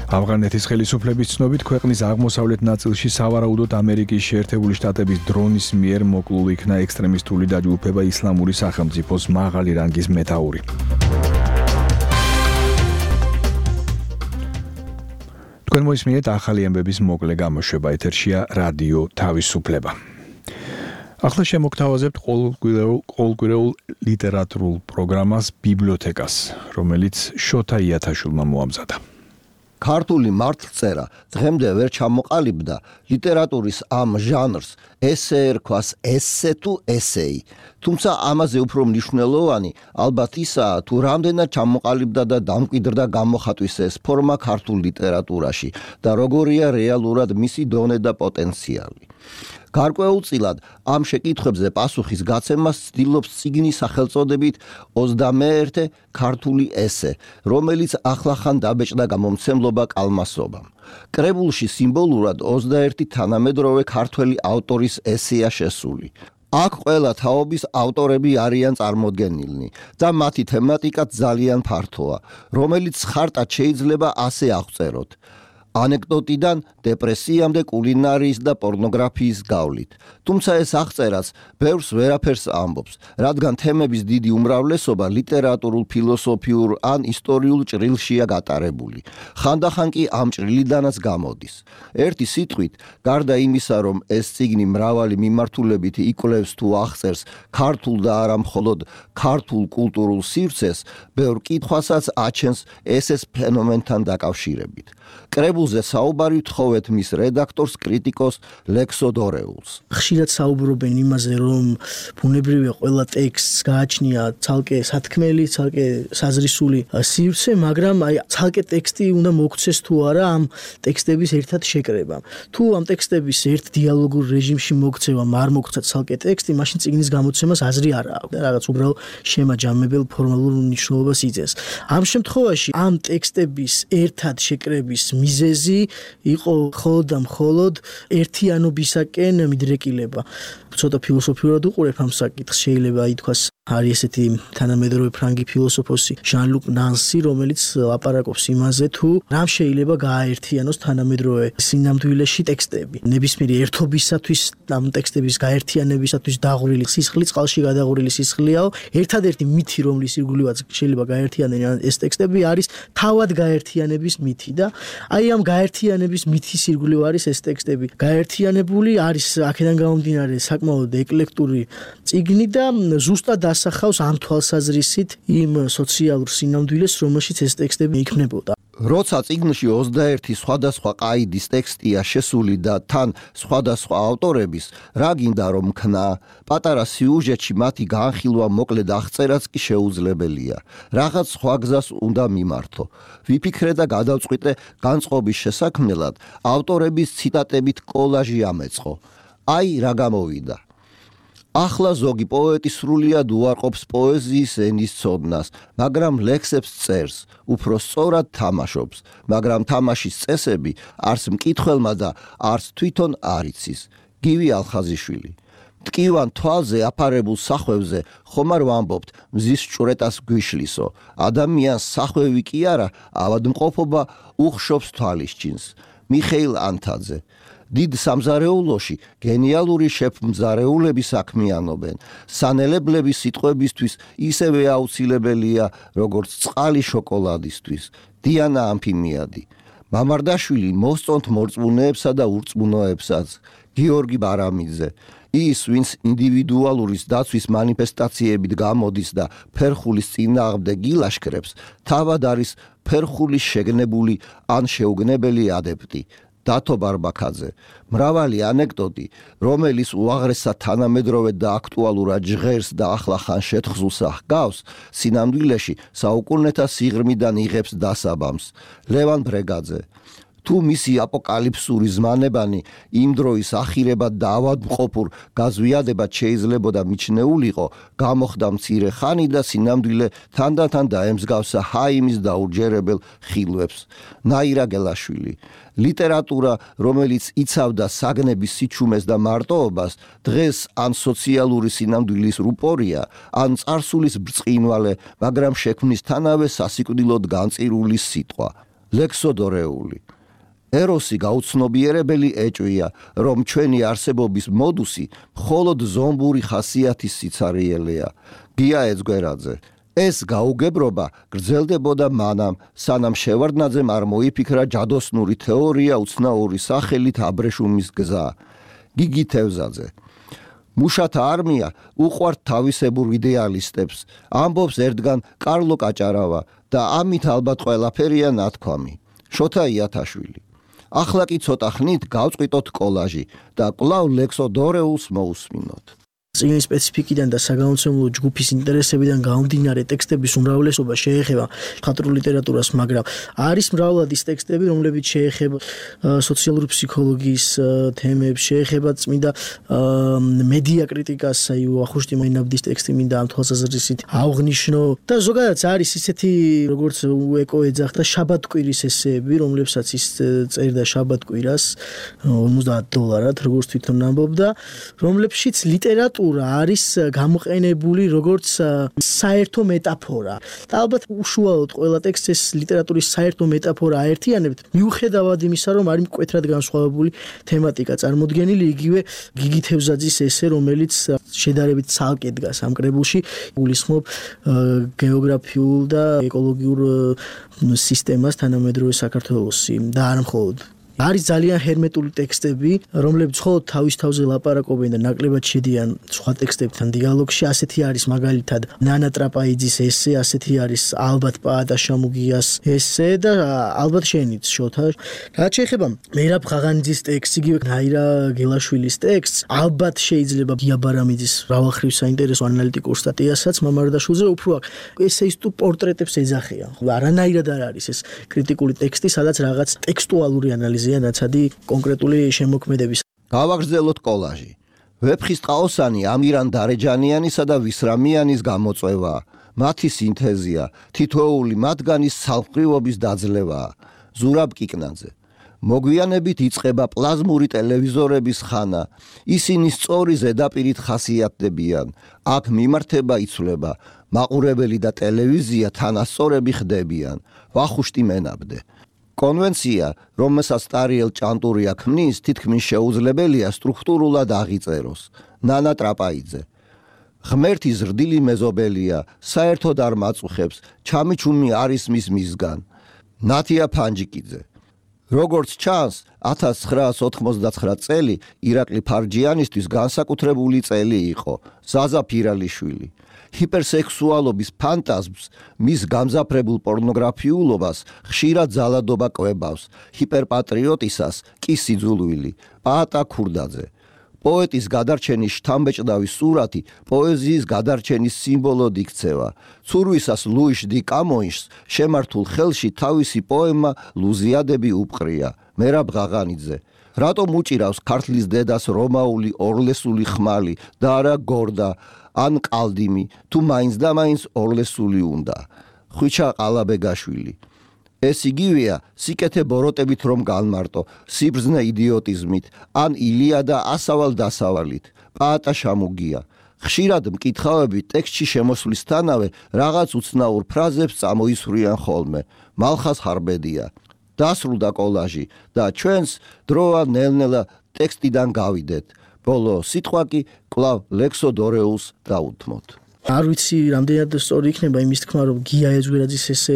ავღანეთის ხელისუფლების ცნობით ქვეყნის აღმოსავლეთ ნაწილში სავარაუდოდ ამერიკის შეერთებული შტატების დრონის მიერ მოკლულ იქნა ექსტრემისტული დაჯგუფება ისლამური სახელმწიფოს მაღალი რანგის მეთაური. თქვენ მოისმინეთ ახალი ამბების მოკლე გამოშვება, ეთერშია რადიო თავისუფლება. ახლა შემოგთავაზებთ ყოველკვირეულ ლიტერატურულ პროგრამას ბიბლიოთეკას, რომელიც შოთა იათაშვილმა მოამზადა. ქართული მართლწერა დღემდე ვერ ჩამოყალიბდა ლიტერატურის ამ ჟანრს ესე ერქვას ესე თუ ესეი, თუმცა ამაზე უფრო მნიშვნელოვანი ალბათ ისაა, თუ რამდენად ჩამოყალიბდა და დამკვიდრდა გამოხატვის ეს ფორმა ქართულ ლიტერატურაში და როგორია რეალურად მისი დონე და პოტენციალი. გარკვეულწილად ამ შეკითხვებზე პასუხის გაცემას ცდილობს წიგნის სახელწოდებით 21 ქართული ესე, რომელიც ახლახან დაბეჭდა გამომცემლობა კალმასობამ. კრებულში სიმბოლურად 21 თანამედროვე ქართველი ავტორის ესეა შესული. აქ ყველა თაობის ავტორები არიან წარმოდგენილნი და მათი თემატიკაც ძალიან ფართოა, რომელიც ხარტად შეიძლება ასე აღწეროთ. ანეკდოტიდან დეპრესიამდე კულინარიის და პორნოგრაფიის გავლით. თუმცა ეს აღწერაც ბევრს ვერაფერს ამბობს, რადგან თემების დიდი უმრავლესობა ლიტერატურულ, ფილოსოფიურ ან ისტორიულ ჭრილშია გატარებული. ხანდახან კი ამ ჭრილიდანაც გამოდის. ერთი სიტყვით, გარდა იმისა, რომ ეს წიგნი მრავალი მიმართულებით იკვლევს თუ აღწერს ქართულ და არა მხოლოდ ქართულ კულტურულ სივრცეს, ბევრ კითხვასაც აჩენს ეს ფენომენთან დაკავშირებით. კრებულზე საუბარი ვთხოვეთ მის რედაქტორს, კრიტიკოს ლექსო დორეულს. ხშირად საუბრობენ იმაზე, რომ ბუნებრივია ყველა ტექსტს გააჩნია ცალკე სათქმელი, ცალკე საზრისული სივრცე, მაგრამ ცალკე ტექსტი უნდა მოგცეს თუ არა ამ ტექსტების ერთად შეკრებამ. თუ ამ ტექსტების ერთ დიალოგურ რეჟიმში მოგცევამ არ მოგცეთ ცალკე ტექსტი, მაშინ წიგნის გამოცემას აზრი არ აქვს და რაღაც უბრალოდ შემაჯამებელ ფორმალურ მნიშვნელობას იძლევის. ამ შემთხვევაში ამ ტექსტების ერთად შეკრების მიზეზი იყო მხოლოდ და მხოლოდ ერთიანობისაკენ მიდრეკილება. ცოტა ფილოსოფიურად უყურებ ამ საკითხს, შეიძლება ითქვას არის ესეთი თანამედროვე ფრანგი ფილოსოფოსი ჟან-ლუკ ნანსი, რომელიც ლაპარაკობს იმაზე, თუ რამ შეიძლება გააერთიანოს თანამედროვე სინამდვილეში ტექსტები. ნებისმიერი ერთობისათვის, ამ ტექსტების გაერთიანებისათვის დაღვრილი სისხლი, წყალში გადაღვრილი სისხლიაო, ერთადერთი მითი, რომლის ირგვლივაც შეიძლება გაერთიანდნენ ეს ტექსტები, არის თავად გაერთიანების მითი და აი ამ გაერთიანების მითის ირგვლივ არის ეს ტექსტები. გაერთიანებული არის აქედან გამომდინარე საკმაოდ ეკლექტური წიგნი და ზუსტად ასახავს ამ თვალსაზრისით იმ სოციალურ სინამდვილეს, რომელშიც ეს ტექსტები იქმნებოდა. როცა წიგნში 21 სხვადასხვა ყაიდის ტექსტია შესული და თან სხვადასხვა ავტორების, რა გინდა რომ ქნა, პატარა სიუჟეტში მათი განხილვა მოკლედ აღწერაც კი შეუძლებელია. რაღაც სხვა გზას უნდა მიმართო. ვიფიქრე და გადავწყვიტე განწყობის შესაქმნელად ავტორების ციტატებით კოლაჟი ამეწყო. აი რა გამოვიდა. ახლა ზოგი პოეტი სრულიად უარყოფს პოეზიის ენის ცოდნას, მაგრამ ლექსებს წერს, უფრო სწორად თამაშობს, მაგრამ თამაშის წესები არც მკითხველმა და არც თვითონ არ იცის. გივი ალხაზიშვილი. მტკივან თვალზე აფარებულ სახვევზე ხომ არ ვამბობთ მზის ჭვრეტას გვიშლისო. ადამიანს სახვევი კი არა, ავადმყოფობა უხშობს თვალისჩინს. მიხეილ ანთაძე. დიდ სამზარეულოში გენიალური შეფმზარეულები საქმიანობენ. სანელებლების სიტყვებისთვის ისევე აუცილებელია, როგორც წყალი შოკოლადისთვის. დიანა ამფიმიადი. მამარდაშვილი მოსწონთ მორწმუნეებსა და ურწმუნოებსაც. გიორგი ბარამიძე. ის, ვინც ინდივიდუალურის დაცვის მანიფესტაციებით გამოდის და ფერხულის წინააღმდეგ ილაშქრებს, თავად არის ფერხულის შეგნებული ან შეუგნებელი ადეპტი. დათო ბარბაქაძე. მრავალი ანეკდოტი, რომელიც უაღრესად თანამედროვე და აქტუალურად ჟღერს და ახლახან შეთხზულს ჰგავს, სინამდვილეში საუკუნეთა სიღრმიდან იღებს დასაბამს. ლევან ბრეგაძე. თუ მისი აპოკალიფსური ზმანებანი იმ დროის ახირებად და ავადმყოფურ გაზვიადებად შეიძლებოდა მიჩნეულიყო, გამოხდა მცირე ხანი და სინამდვილე თანდათან დაემსგავსა ჰაიმის დაურჯერებელ ხილვებს. ნაირა გელაშვილი. ლიტერატურა, რომელიც იცავდა საგნების სიჩუმეს და მარტოობას, დღეს ან სოციალური სინამდვილის რუპორია, ან წარსულის ბრწყინვალე, მაგრამ შექმნისთანავე სასიკვდილოდ განწირული სიტყვა. ლექსოდორეული. ეროსი გაუცნობიერებელი ეჭვია, რომ ჩვენი არსებობის მოდუსი მხოლოდ ზომბური ხასიათის სიცარიელეა. გია ეძგვერაძე. ეს გაუგებრობა გრძელდებოდა მანამ, სანამ შევარდნაძემ არ მოიფიქრა ჯადოსნური თეორია უცნაური სახელით აბრეშუმის გზა. გიგი თევზაძე. მუშათა არმია უყვართ თავისებურ იდეალისტებს, ამბობს ერთგან კარლო კაჭარავა და ამით ალბათ ყველაფერია ნათქვამი. შოთა იათაშვილი. ახლა კი ცოტა ხნით გავწყვიტოთ კოლაჟი და კვლავ ლექსოდორეულს მოусმინოთ. წინის სპეციფიკიდან და საგამომცემლო ჯგუფის ინტერესებიდან გამომდინარე ტექსტების უმრავლესობა შეეხება მხატვრულ ლიტერატურას, მაგრამ არის მრავლად ის ტექსტები, რომლებიც შეეხება სოციალური ფსიქოლოგიის თემებს, შეეხება წმინდა მედია კრიტიკას, აი ვახუშტი მაინაბდის ტექსტი მინდა ამ თვალსაზრისით ავღნიშნო და ზოგადად არის ისეთი, როგორც ეკო ეძახდა შაბათკვირის ესეები, რომლებსაც ის წერდა შაბათკვირას $50, როგორც თვითონ ამბობდა, რომლებშიც ლიტერატურა არის გამოყენებული როგორც საერთო მეტაფორა. და ალბათ უშუალოდ ყველა ტექსტს ეს ლიტერატურის საერთო მეტაფორა აერთიანებთ, მიუხედავად იმისა, რომ არის მკვეთრად განსხვავებული თემატიკა წარმოდგენილი, იგივე გიგი თევზაძის ესე, რომელიც შედარებით ცალკე დგას ამ კრებულში, გულისხმობ გეოგრაფიულ და ეკოლოგიურ სისტემას თანამედროვე საქართველოსი და არ მხოლოდ. არის ძალიან ჰერმეტული ტექსტები, რომლებიც მხოლოდ თავის თავზე ლაპარაკობენ და ნაკლებად შედიან სხვა ტექსტებთან დიალოგში. ასეთი არის მაგალითად ნანა ტრაპაიძის ესე, ასეთი არის ალბათ პაატა შამუგიას ესე და ალბათ შენიც შოთა. რაც შეეხება მერაბ ღაღანიძის ტექსტს, იგივე ნაირა გელაშვილის ტექსტს, ალბათ შეიძლება გია ბარამიძის მრავალხრივ საინტერესო ანალიტიკურ სტატიასაც მამარდაშვილზე უფრო ესეისტურ პორტრეტებს ეძახიან. არანაირად არ არის ეს კრიტიკული ტექსტი, სადაც რაღაც ტექსტუალური ანალიზი ნაცადი კონკრეტული შემოქმედების. გავაგრძელოთ კოლაჟი. ვეფხისტყაოსანი ამირან დარეჯანიანისა და ვისრამიანის გამოწვევაა. მათი სინთეზია, თითოეული მათგანის სალყრივობის დაძლევაა. ზურაბ კიკნაძე. მოგვიანებით იწყება პლაზმური ტელევიზორების ხანა. ისინი სწორი ზედაპირით ხასიათდებიან. აქ მიმართება იცვლება. მაყურებელი და ტელევიზია თანასწორები ხდებიან. ვახუშტი მენაბდე. კონვენცია, რომელსაც ტარიელ ჭანტურია ქმნის, თითქმის შეუძლებელია სტრუქტურულად აღიწეროს. ნანა ტრაპაიძე. ღმერთი ზრდილი მეზობელია, საერთოდ არ მაწუხებს, ჩამიჩუმი არის მისგან. ნათია ფანჯიკიძე. როგორც ჩანს, 1999 წელი ირაკლი ფარჯიანისთვის განსაკუთრებული წელი იყო. ზაზა ფირალიშვილი. ჰიპერსექსუალობის ფანტაზმს, მის გამზაფრებულ პორნოგრაფიულობას ხშირად ძალადობა კვებავს, ჰიპერპატრიოტისას კი სიძულვილი. პაატა ქურდაძე. პოეტის გადარჩენის შთამბეჭდავი სურათი პოეზიის გადარჩენის სიმბოლოდ იქცევა. ცურვისას ლუიშ დი კამოიშს შემართულ ხელში თავისი პოემა ლუზიადები უპყრია. მერაბ ღაღანიძე. რატომ უჭირავს ქართლის დედას რომაული ორლესული ხმალი და არა გორდა ან ყალდიმი, თუ მაინც და მაინც ორლესული უნდა. ხვიჩა ყალაბეგაშვილი. ეს იგივეა სიკეთე ბოროტებით რომ განმარტო, სიბრძნე იდიოტიზმით, ან ილია და ასავალ დასავალით. პაატა შამუგია. ხშირად მკითხავები ტექსტში შემოსვლისთანავე რაღაც უცნაურ ფრაზებს წამოისვრიან ხოლმე. მალხას ხარბედია. დასრულდა კოლაჟი და ჩვენს დროა ნელ-ნელა ტექსტიდან გავიდეთ. ბოლო სიტყვა კი კვლავ ლექსო დორეულს დაუთმოთ. არ ვიცი რამდენად სწორი იქნება იმის თქმა რომ გია ეძვერაძის ესე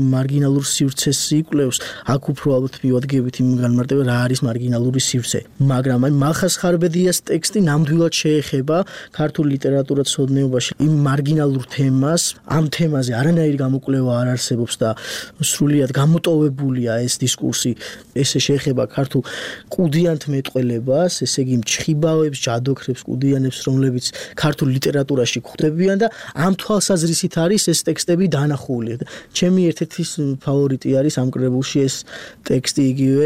მარგინალურ სივრცეს იკვლევს აქ უფრო ალბათ მივადგებით იმ განმარტება რა არის მარგინალური სივრცე მაგრამ აი მალხას ხარბედიას ტექსტი ნამდვილად შეეხება ქართულ ლიტერატურათმცოდნეობაში იმ მარგინალურ თემას ამ თემაზე არანაირი გამოკვლევა არ არსებობს და სრულიად გამოტოვებულია ეს დისკურსი ესე შეეხება ქართულ კუდიანთ მეტყველებას ესე იგი მჩხიბავებს ჯადოქრებს კუდიანებს რომლებიც ქართულ ლიტერატურაში გვხვდებიან და ამ თვალსაზრისით არის ეს ტექსტები დანახული. ჩემი ერთ-ერთი ფავორიტი არის ამ კრებულში ეს ტექსტი იგივე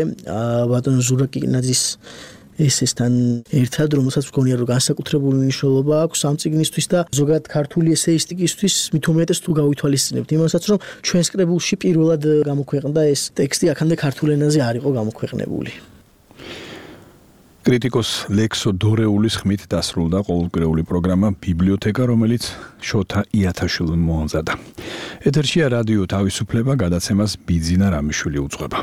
ბატონ ზურაკინაძის ესესთან ერთად, რომელსაც მგონია რომ განსაკუთრებული მნიშვნელობა აქვს ამ წიგნისთვის და ზოგადად ქართული ესეისტიკისთვის მით უმეტეს თუ გავითვალისწინებთ იმასაც რომ ჩვენს კრებულში პირველად გამოქვეყნდა ეს ტექსტი აქამდე ქართულ ენაზე არ იყო გამოქვეყნებული. კრიტიკოს ლექსო დორეულის ხმით დასრულდა ყოველკვირეული პროგრამა ბიბლიოთეკა, რომელიც შოთა იათაშვილმა მოამზადა. ეთერშია რადიო თავისუფლება, გადაცემას ბიძინა რამიშვილი უძღვება.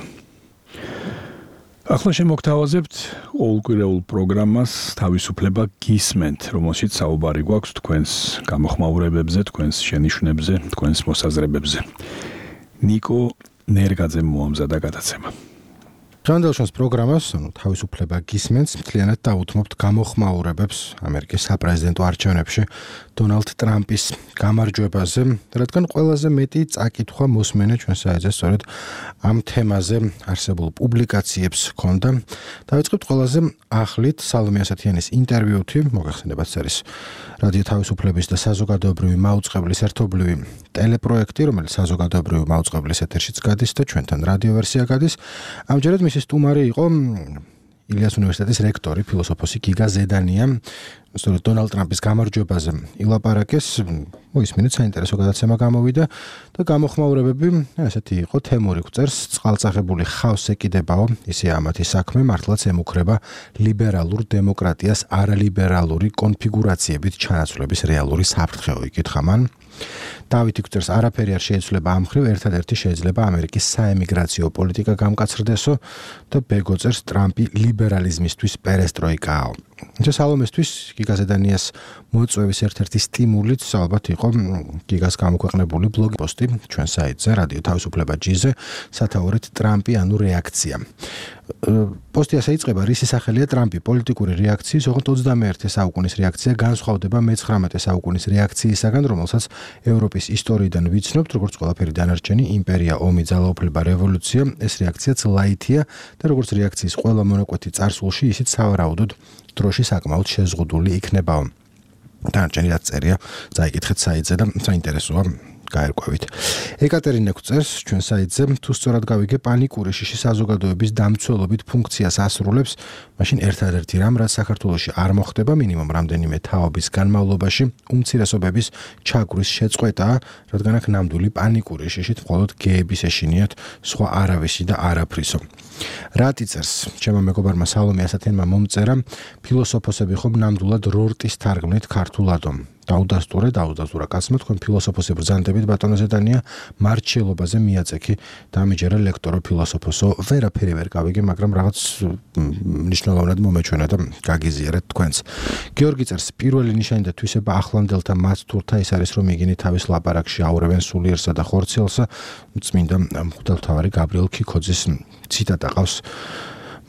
ახლა შემოგთავაზებთ ყოველკვირეულ პროგრამას თავისუფლება გისმენთ, რომელშიც საუბარი გვაქვს თქვენს გამოხმაურებებზე, თქვენს შენიშვნებზე, თქვენს მოსაზრებებზე. ნიკო ნერგაძემ მოამზადა გადაცემა. ჟანდელშოს პროგრამას, თავისუფლება გისმენთ, მთლიანად დაუთმობთ გამოხმაურებებს ამერიკის საპრეზიდენტო არჩევნებში დონალდ ტრამპის გამარჯვებაზე, რადგან ყველაზე მეტი წაკითხვა მოსმენა ჩვენ საიტზე სწორედ ამ თემაზე არსებულ პუბლიკაციებს ჰქონდა. დავიწყებთ ყველაზე ახლით სალომე ასათიანის ინტერვიუთი, მოგახსენებათ ეს არის რადიო თავისუფლების და საზოგადოებრივი მაუწყებლის ერთობლივი ტელეპროექტი, რომელიც საზოგადოებრივი მაუწყებლის ეთერშიც გადის და ჩვენთან რადიო ვერსია გადის. ამჯერად მისი სტუმარი იყო ილიას უნივერსიტეტის რექტორი, ფილოსოფოსი გიგა ზედანია. სწორედ დონალდ ტრამპის გამარჯვებაზე ილაპარაკეს, მოისმინეთ საინტერესო გადაცემა გამოვიდა და გამოხმაურებები ესეთი იყო თემური გვწერს, წყალწახებული ხავს ეკიდებაო, ისე ამათი საქმე მართლაც ემუქრება ლიბერალურ დემოკრატიას არალიბერალური კონფიგურაციებით ჩანაცვლების რეალური საფრთხეო იკითხა მან. დავითი გვწერს არაფერი არ შეიცვლება ამ მხრივ, ერთადერთი შეიძლება ამერიკის საემიგრაციო პოლიტიკა გამკაცრდესო და ბეგო წერს ტრამპი ლიბერალიზმისთვის პერესტროიკაო. სალომესთვის გიგა ზედანიას მოწვევის ერთ-ერთი სტიმულიც ალბათ იყო გიგას გამოქვეყნებული ბლოგი პოსტი ჩვენ საიტზე რადიო თავისუფლება G-ზე სათაურით ტრამპი ანუ რეაქცია. პოსტი ასე იწყება, რისი სახელია ტრამპი პოლიტიკური რეაქციის, ოღონდ 21 საუკუნის რეაქცია განსხვავდება მე-19 საუკუნის რეაქციისაგან, რომელსაც ევროპის ისტორიიდან ვიცნობთ, როგორც ყველაფერი დანარჩენი იმპერია, ომი, ძალაუფლება, რევოლუცია, ეს რეაქციაც ლაითია და როგორც რეაქციის ყველა მონაკვეთი წარსულში, ისიც სავარაუდოდ დროში საკმაოდ შეზღუდული იქნება. დანარჩენი რაც წერია, წაიკითხეთ საიტზე და საინტერესოა გაერკვევით. ეკატერინა გვწერს ჩვენ საიტზე, თუ სწორად გავიგე, პანიკური შიში საზოგადოების დამცველობით ფუნქციას ასრულებს, მაშინ ერთადერთი რამ, რაც საქართველოში არ მოხდება მინიმუმ რამდენიმე თაობის განმავლობაში, უმცირესობების ჩაგვრის შეწყვეტაა, რადგან აქ ნამდვილი პანიკური შიშით მხოლოდ გეების ეშინიათ, სხვა არავისი და არაფრისო. რატი წერს, ჩემო მეგობარმა სალომე ასათიანმა მომწერა, ფილოსოფოსები ხომ ნამდვილად რორტის თარგმნით ქართულადო. დაუდასტურა კაცმა თქვენ ფილოსოფოსი ბრძანდებით ბატონო ზედანია მარჩელობაზე მიაწექი დამიჯერა ლექტორო ფილოსოფოსო ვერაფერი ვერ გავიგე მაგრამ რაღაც მნიშვნელოვნად მომეჩვენა და გაგიზიარეთ თქვენს გიორგი წერს პირველი ნიშანი და თვისება ახლანდელთა მაცთურთა ის არის რომ იგინი თავის ლაპარაკში აურევენ სულიერსა და ხორციელსა წმინდა მღვდელმთავარი გაბრიელ ქიქოძის ციტატა ყავს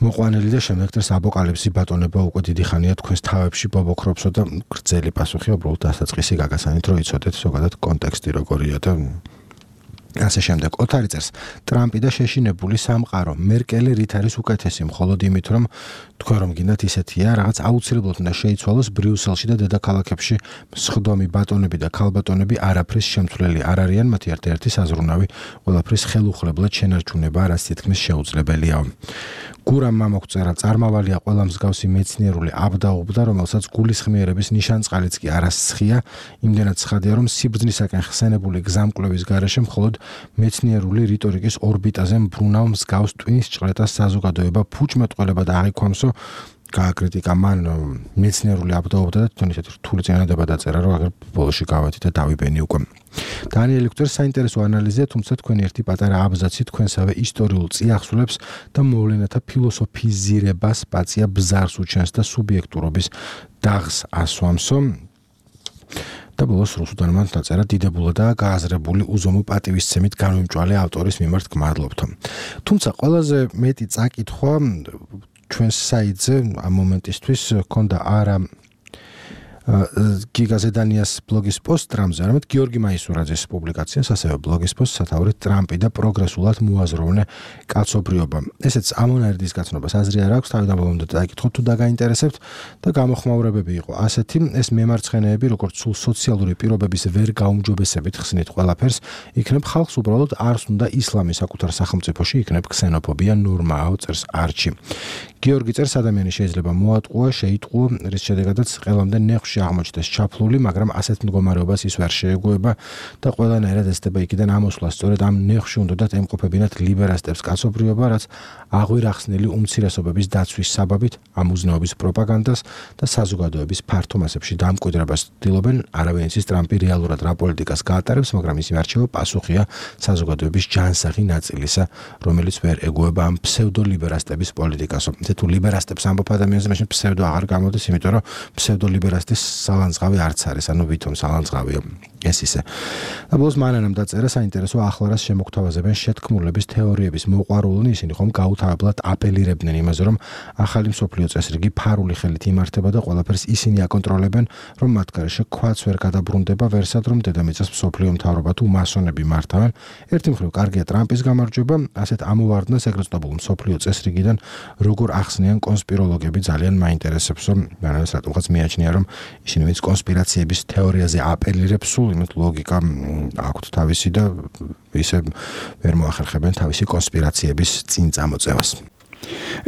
მოყვანილი და შემდეგ დღეს აპოკალიფსი ბატონება უკვე დიდი ხანია თქვენს თავებში ბობოქრობსო და გრძელი პასუხი უბრალოდ დასაწყისი გაგასანით რომ იცოდეთ ზოგადად კონტექსტი როგორია და ასე შემდეგ. ოთარი წერს, ტრამპი და შეშინებული სამყარო, მერკელი რით არის უკეთესი, მხოლოდ იმით, რომ თქვენ რომ გინდათ ისეთია, რაღაც აუცილებლად უნდა შეიცვალოს ბრიუსელში და დედაქალაქებში მსხდომი ბატონები და ქალბატონები არაფრის შემცვლელი არ არიან, მათი ერთ-ერთი საზრუნავი ყველაფრის ხელუხლებლად შენარჩუნება, რაც თითქმის შეუძლებელია. გურამ მამოგვწერა, წარმავალია ყველა მსგავსი მეცნიერული აბდაუბდა, რომელსაც გულისხმიერების ნიშანწყალიც კი არასცხია, იმდენად ცხადია, რომ სიბრძნისაკენ ხსენებული გზამკვლევის გარეშე მხოლოდ მეცნიერული რიტორიკის ორბიტაზე მბრუნავ მსგავს ტვინის ჭრეტას საზოგადოება ფუჭმეტყველება და აღიქვამსო გააკრიტიკა მან მეცნიერული აბდაუბდა და თვითონ ისეთი რთული წინადადება დაწერა, რომ აგერ ბოლოში გავეთი და დავიბენი უკვე. დანიელი გვწერს, საინტერესო ანალიზია, თუმცა თქვენი ერთი პატარა აბზაცი თქვენსავე ისტორიულ წიაღსულებს და მოვლენათა ფილოსოფიზირებას პაცია ბზარს უჩენს და სუბიექტურობის დაღს ასვამსო. და ბოლოს რუსუდანმა დაწერა, დიდებულადაა გააზრებული უზომო პატივისცემით განვიმჭვალე ავტორის მიმართ გმადლობთ. თუმცა ყველაზე მეტი წაკითხვა ჩვენს საიტზე ამ მომენტისთვის ქონდა არა გიგაზე დანიას ბლოგის პოსტ რამზე, არამედ გიორგი მაისურაძის პუბლიკაციას, ასევე ბლოგის პოსტ სათაურით ტრამპი და პროგრესულად მოაზროვნე კაცობრიობა. ესეც ამონარიდის გაცნობას აზრი არ აქვს, თავიდან ბოლომდე დაიკითხოთ თუ დაგაინტერესებთ და გამოხმაურებები იყო ასეთი, ეს მემარცხენეები, როგორც სულ სოციალური პირობების ვერ გაუმჯობესებით ხსნით ყველაფერს, იქნებ ხალხს უბრალოდ არს უნდა ისლამი საკუთარ სახელმწიფოში, იქნებ ქსენოფობია ნორმაა, წერს არჩი. გიორგი წერს, ადამიანი შეიძლება მოატყუა, შეიტყუა, რის შედეგადაც ყველამდე ნეხვში აღმოჩნდეს ჩაფლული, მაგრამ ასეთ მდგომარეობას ის ვერ შეეგუება და ყველანაირად ესდება იქიდან ამოსვლა. სწორედ ამ ნეხვში უნდათ ემყოფებინათ ლიბერასტებს კაცობრიობა, რაც აღვირახსნილი უმცირესობების დაცვის საბაბით ამ უზნეობის პროპაგანდას და საზოგადოების ფართო მასებში დამკვიდრებას ცდილობენ. არავინ იცის ტრამპი რეალურად რა პოლიტიკას გაატარებს, მაგრამ ისინი არჩევა პასუხია საზოგადოების ჯანსაღი ნაწილისა, რომელიც ვერ ეგუება ამ ფსევდოლიბერასტების პოლიტიკას. თუ ლიბერასტებს ამბობ ადამიანზე, მაშინ ფსევდო აღარ გამოდის, იმიტომ რომ ფსევდოლიბერასტის სალანძღავი არც არის, ანუ ვითომ სალანძღავია ეს ისე. და ბოლოს მანანამ დაწერა, საინტერესო ახლარას შემოგთავაზებენ შეთქმულების თეორიების მოყვარულნი, ისინი ხომ გაუთავებლად აპელირებდნენ იმაზე, რომ ახალი მსოფლიო წესრიგი ფარული ხელით იმართება და ყველაფერს ისინი აკონტროლებენ, რომ მათ გარეშე ქვაც ვერ გადაბრუნდება ვერსად, რომ დედამიწას მსოფლიო მთავრობა თუ მასონები მართავენ. ერთი მხრივ კარგია ტრამპის გამარჯვება, ასეთ ამოვარდნას ეგრეთ წოდებული მსოფლიო წესრიგიდან როგორ ახსნიან კონსპიროლოგები ძალიან მაინტერესებს, რომ მანას რატომღაც მიაჩნია, რომ ისინი ვინც კონსპირაციების თეორიაზე აპელირებს, სულ იმით ლოგიკა აქვთ თავისი და ისე ვერ მოახერხებენ თავისი კონსპირაციების წინ წამოწევას.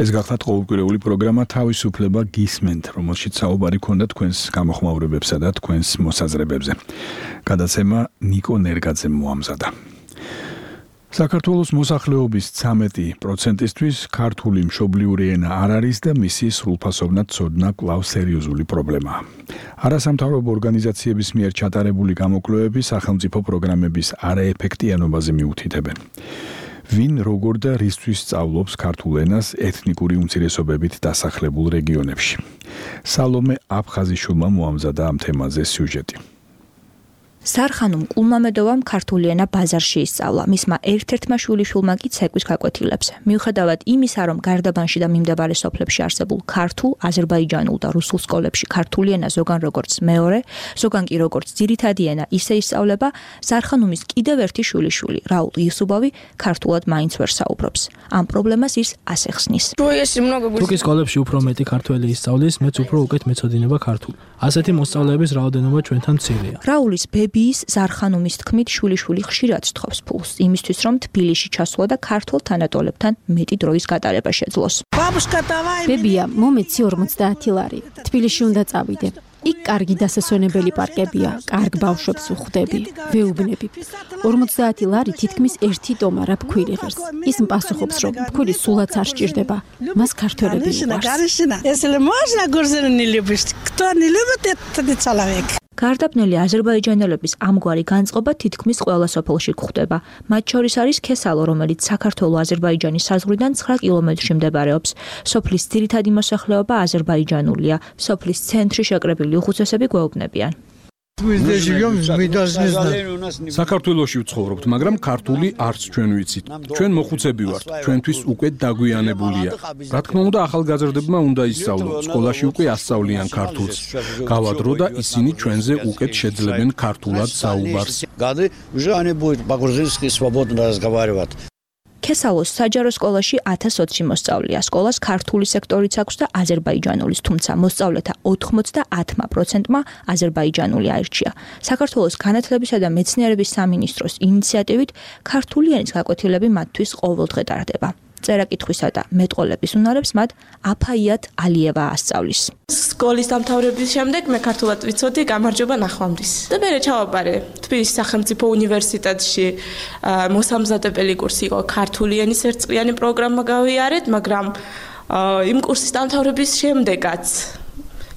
ეს გახლავთ ყოველკვირეული პროგრამა თავისუფლება გისმენთ, რომელშიც საუბარი ქონდა თქვენს გამოხმაურებებსა და თქვენს მოსაზრებებზე. გადაცემა ნიკო ნერგაძემ მოამზადა. საქართველოს მოსახლეობის 13%-ისთვის ქართული მშობლიური ენა არ არის და მისი სრულფასოვნად ცოდნა კვლავ სერიოზული პრობლემაა. არასამთავრობო ორგანიზაციების მიერ ჩატარებული გამოკვლევები სახელმწიფო პროგრამების არაეფექტიანობაზე მიუთითებენ. ვინ როგორ და რისთვის სწავლობს ქართულ ენას ეთნიკური უმცირესობებით დასახლებულ რეგიონებში. სალომე აფხაზიშვილმა მოამზადა ამ თემაზე სიუჟეტი. სარხანუმ კულმამედოვამ ქართული ენა ბაზარში ისწავლა. მისმა ერთ-ერთმა შვილიშვილმა კი ცეკვის გაკვეთილებს. მიუხედავად იმისა, რომ გარდაბანში და მიმდებარე სოფლებში არსებულ ქართულ, აზერბაიჯანულ და რუსულ სკოლებში ქართული ენა ზოგან როგორც მეორე, ზოგან კი როგორც ძირითადი ენა ისე ისწავლება, სარხანუმის კიდევ ერთი შვილიშვილი, რაულ იუსუბოვი, ქართულად მაინც ვერ საუბრობს. ამ პრობლემას ის ასე ხსნის. თუკი სკოლებში უფრო მეტი ქართველი ისწავლის, მეც უფრო უკეთ მეცოდინება ქართული. ასეთი მოსწავლეების რაოდენობა ჩვენთან მცირეა. რაულის ბიბიის ზარხანუმის თქმით შვილიშვილი ხშირად სთხოვს ფულს იმისთვის, რომ თბილისში ჩასვლა და ქართულ თანატოლებთან მეტი დროის გატარება შეძლოს. ბებია, მომეცი 50 ლარი. თბილისში უნდა წავიდე. იქ კარგი დასასვენებელი პარკებია, კარგ ბავშვებს ვხვდები, ვეუბნები. 50 ლარი თითქმის ერთი ტომარა ფქვილი ღირს. ის პასუხობს, რომ ფქვილი სულაც არ სჭირდება. მას ქართველები უყვარს. გარდაბნელი აზერბაიჯანელების ამგვარი განწყობა თითქმის ყველა სოფელში გვხვდება. მათ შორის არის ქესალო, რომელიც საქართველო-აზერბაიჯანის საზღვრიდან 9 კილომეტრში მდებარეობს. სოფლის ძირითადი მოსახლეობა აზერბაიჯანულია. სოფლის ცენტრი შეკრებილი უხუცესები გვეუბნებიან. საქართველოში ვცხოვრობთ, მაგრამ ქართული არც ჩვენ ვიცით. ჩვენ მოხუცები ვართ, ჩვენთვის უკვე დაგვიანებულია. რა თქმა უნდა, ახალგაზრდებმა უნდა ისწავლონ, სკოლაში უკვე ასწავლიან ქართულს. გავა დრო და ისინი ჩვენზე უკეთ შეძლებენ ქართულად საუბარს. ქესალოს საჯარო სკოლაში 1020 მოსწავლეა. სკოლას ქართული სექტორიც აქვს და აზერბაიჯანულის, თუმცა მოსწავლეთა 90%-მა აზერბაიჯანული აირჩია. საქართველოს განათლებისა და მეცნიერების სამინისტროს ინიციატივით ქართული ენის გაკვეთილები მათთვის ყოველდღე ტარდება. წერა-კითხვისა და მეტყოლების უნარებს მათ აფაიათ ალიევა ასწავლის. სკოლის დამთავრების შემდეგ მე ქართულად ვიცოდი, გამარჯობა ნახვამდის. და მე ჩავაბარე თბილისის სახელმწიფო უნივერსიტეტში მოსამზადებელი კურსი იყო ქართული ენის ერთწლიანი პროგრამა გავიარეთ, მაგრამ იმ კურსის დამთავრების შემდეგაც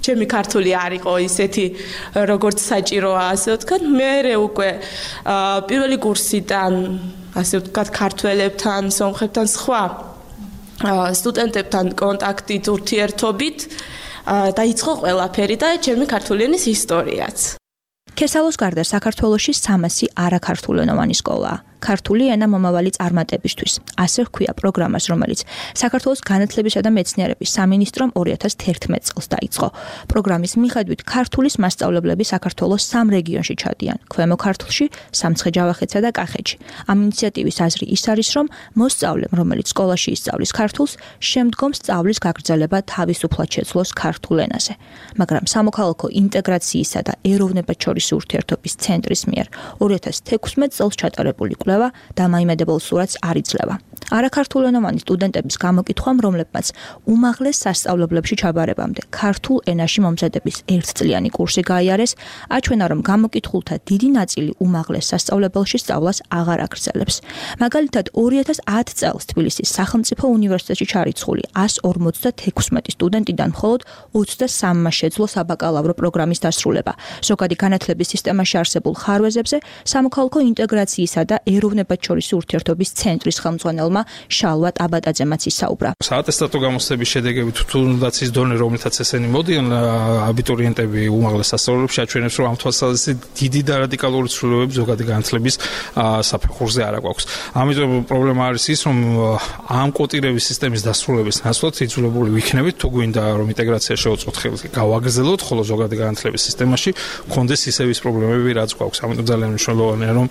ჩემი ქართული არ იყო ისეთი როგორც საჭიროა, ასე ვთქვათ, მე უკვე პირველი კურსიდან ასე ვთქვათ, ქართველებთან, სომხებთან, სხვა სტუდენტებთან კონტაქტით, ურთიერთობით დაიწყო ყველაფერი და ჩემი ქართული ენის ისტორიაც. ქესალოს გარდა საქართველოში 300 არაქართულენოვანი სკოლაა. ქართული ენა მომავალი წარმატებისთვის. ასე ჰქვია პროგრამას, რომელიც საქართველოს განათლებისა და მეცნიერების სამინისტრომ 2011 წელს დაიწყო. პროგრამის მიხედვით ქართულის მასწავლებლები საქართველოს 3 რეგიონში ჩადიან: ქვემო ქართლში, სამცხე-ჯავახეთსა და კახეთში. ამ ინიციატივის აზრი ის არის, რომ მოსწავლემ, რომელიც სკოლაში ისწავლის ქართულს, შემდგომ სწავლის გაგრძელება თავისუფლად შეძლოს ქართულ ენაზე. მაგრამ სამოქალაქო ინტეგრაციისა და ეროვნებათშორისი ურთიერთობის ცენტრის მიერ 2016 წელს ჩატარებული კვლევა დამაიმედებელ სურათს არ იძლევა. არაქართულენოვანი სტუდენტების გამოკითხვამ, რომლებმაც უმაღლეს სასწავლებლებში ჩაბარებამდე ქართულ ენაში მომზადების ერთწლიანი კურსი გაიარეს, აჩვენა, რომ გამოკითხულთა დიდი ნაწილი უმაღლეს სასწავლებელში სწავლას აღარ აგრძელებს. მაგალითად, 2010 წელს თბილისის სახელმწიფო უნივერსიტეტში ჩარიცხული 156 სტუდენტიდან მხოლოდ 23-მა შეძლო საბაკალავრო პროგრამის დასრულება. ზოგადი განათლების სისტემაში არსებულ ხარვეზებზე სამოქალაქო ინტეგრაციისა და ეროვნებათშორისი ურთიერთობის ცენტრის ხელმძღვანელმა შალვა ტაბატაძემაც ისაუბრა. საატესტატო გამოცდების შედეგებით თუნდაც ის დონე, რომლითაც ესენი მოდიან აბიტურიენტები უმაღლეს სასწავლებლებში, აჩვენებს, რომ ამ თვალსაზრისით დიდი და რადიკალური ცვლილებები ზოგადი განათლების საფეხურზე არ აქვს. ამიტომ პრობლემა არის ის, რომ ამ კვოტირების სისტემის დასრულების ნაცვლად იძულებული ვიქნებით, თუ გვინდა რომ ინტეგრაცია შევუწყოთ ხელს, გავაგრძელოთ, ხოლო ზოგადი განათლების სისტემაში გქონდეს ისევის პრობლემები, რაც გვაქვს. ამიტომ ძალიან მნიშვნელოვანია, რომ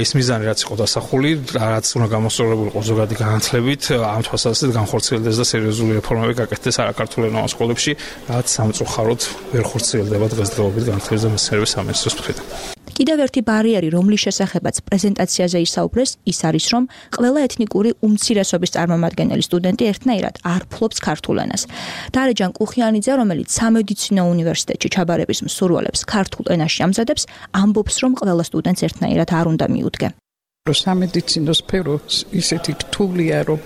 ის მიზანი რაც იყო დასახული, რაც უნდა გამოსწორებული იყო ზოგადი განათლებით, ამ თვალსაზრისით განხორციელდეს და სერიოზული რეფორმები გაკეთდეს არაქართულენოვან სკოლებში, რაც სამწუხაროდ ვერ ხორციელდება დღესდღეობით განათლების და მეცნიერების სამინისტროს მხრიდან. კიდევ ერთი ბარიერი, რომლის შესახებაც პრეზენტაციაზე ისაუბრეს, ის არის, რომ ყველა ეთნიკური უმცირესობის წარმომადგენელი სტუდენტი ერთნაირად არ ფლობს ქართულ ენას. დარეჯან კუხიანიძე, რომელიც სამედიცინო უნივერსიტეტში ჩაბარების მსურველებს ქართულ ენაში ამზადებს, ამბობს, რომ ყველა სტუდენტს ერთნაირად არ უნდა მიუდგე. სამედიცინო სფერო ისეთი რთულია, რომ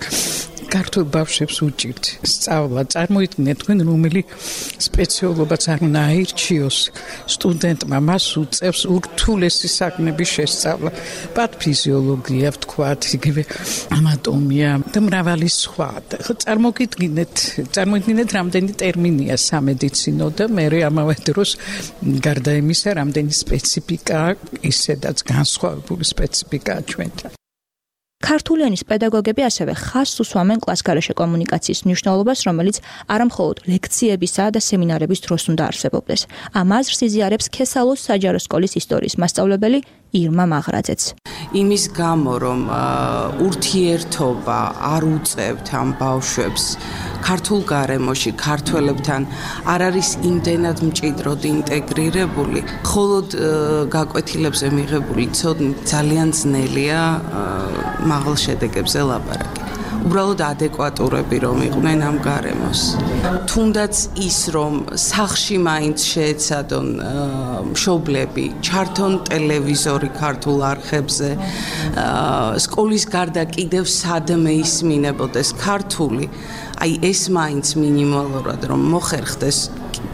ქართულ ბავშვებს უჭირთ სწავლა. წარმოიდგინეთ თქვენ, რომელი სპეციალობაც არ უნდა აირჩიოს სტუდენტმა, მას უწევს ურთულესი საქმების შესწავლა. პათოფიზიოლოგია, ვთქვათ, იგივე ანატომია და მრავალი სხვა. წარმოიდგინეთ, რამდენი ტერმინია სამედიცინო და მერე ამავე დროს გარდა იმისა, რამდენი სპეციფიკა, ისედაც განსხვავებული სპეციფიკაა ჩვენთან. ქართული ენის პედაგოგები ასევე ხაზს უსვამენ კლასგარეშე კომუნიკაციის მნიშვნელობას, რომელიც არამხოლოდ ლექციებისა და სემინარების დროს უნდა არსებობდეს. ამ აზრს იზიარებს ქესალოს საჯარო სკოლის ისტორიის მასწავლებელი ირმა მაღრაძეც. იმის გამო, რომ ურთიერთობა არ უწევთ ამ ბავშვებს ქართულ გარემოში, ქართველებთან არ არის იმდენად მჭიდროდ ინტეგრირებული, მხოლოდ გაკვეთილებზე მიღებული ცოდნით ძალიან ძნელია მაღალ შედეგებზე ლაპარაკი. უბრალოდ ადეკვატურები რომ იყვნენ ამ გარემოს. თუნდაც ის, რომ სახლში მაინც შეეცადონ მშობლები, ჩართონ ტელევიზორი ქართულ არხებზე, სკოლის გარდა კიდევ სადმე ისმინებოდეს ქართული, აი ეს მაინც მინიმალურად რომ მოხერხდეს,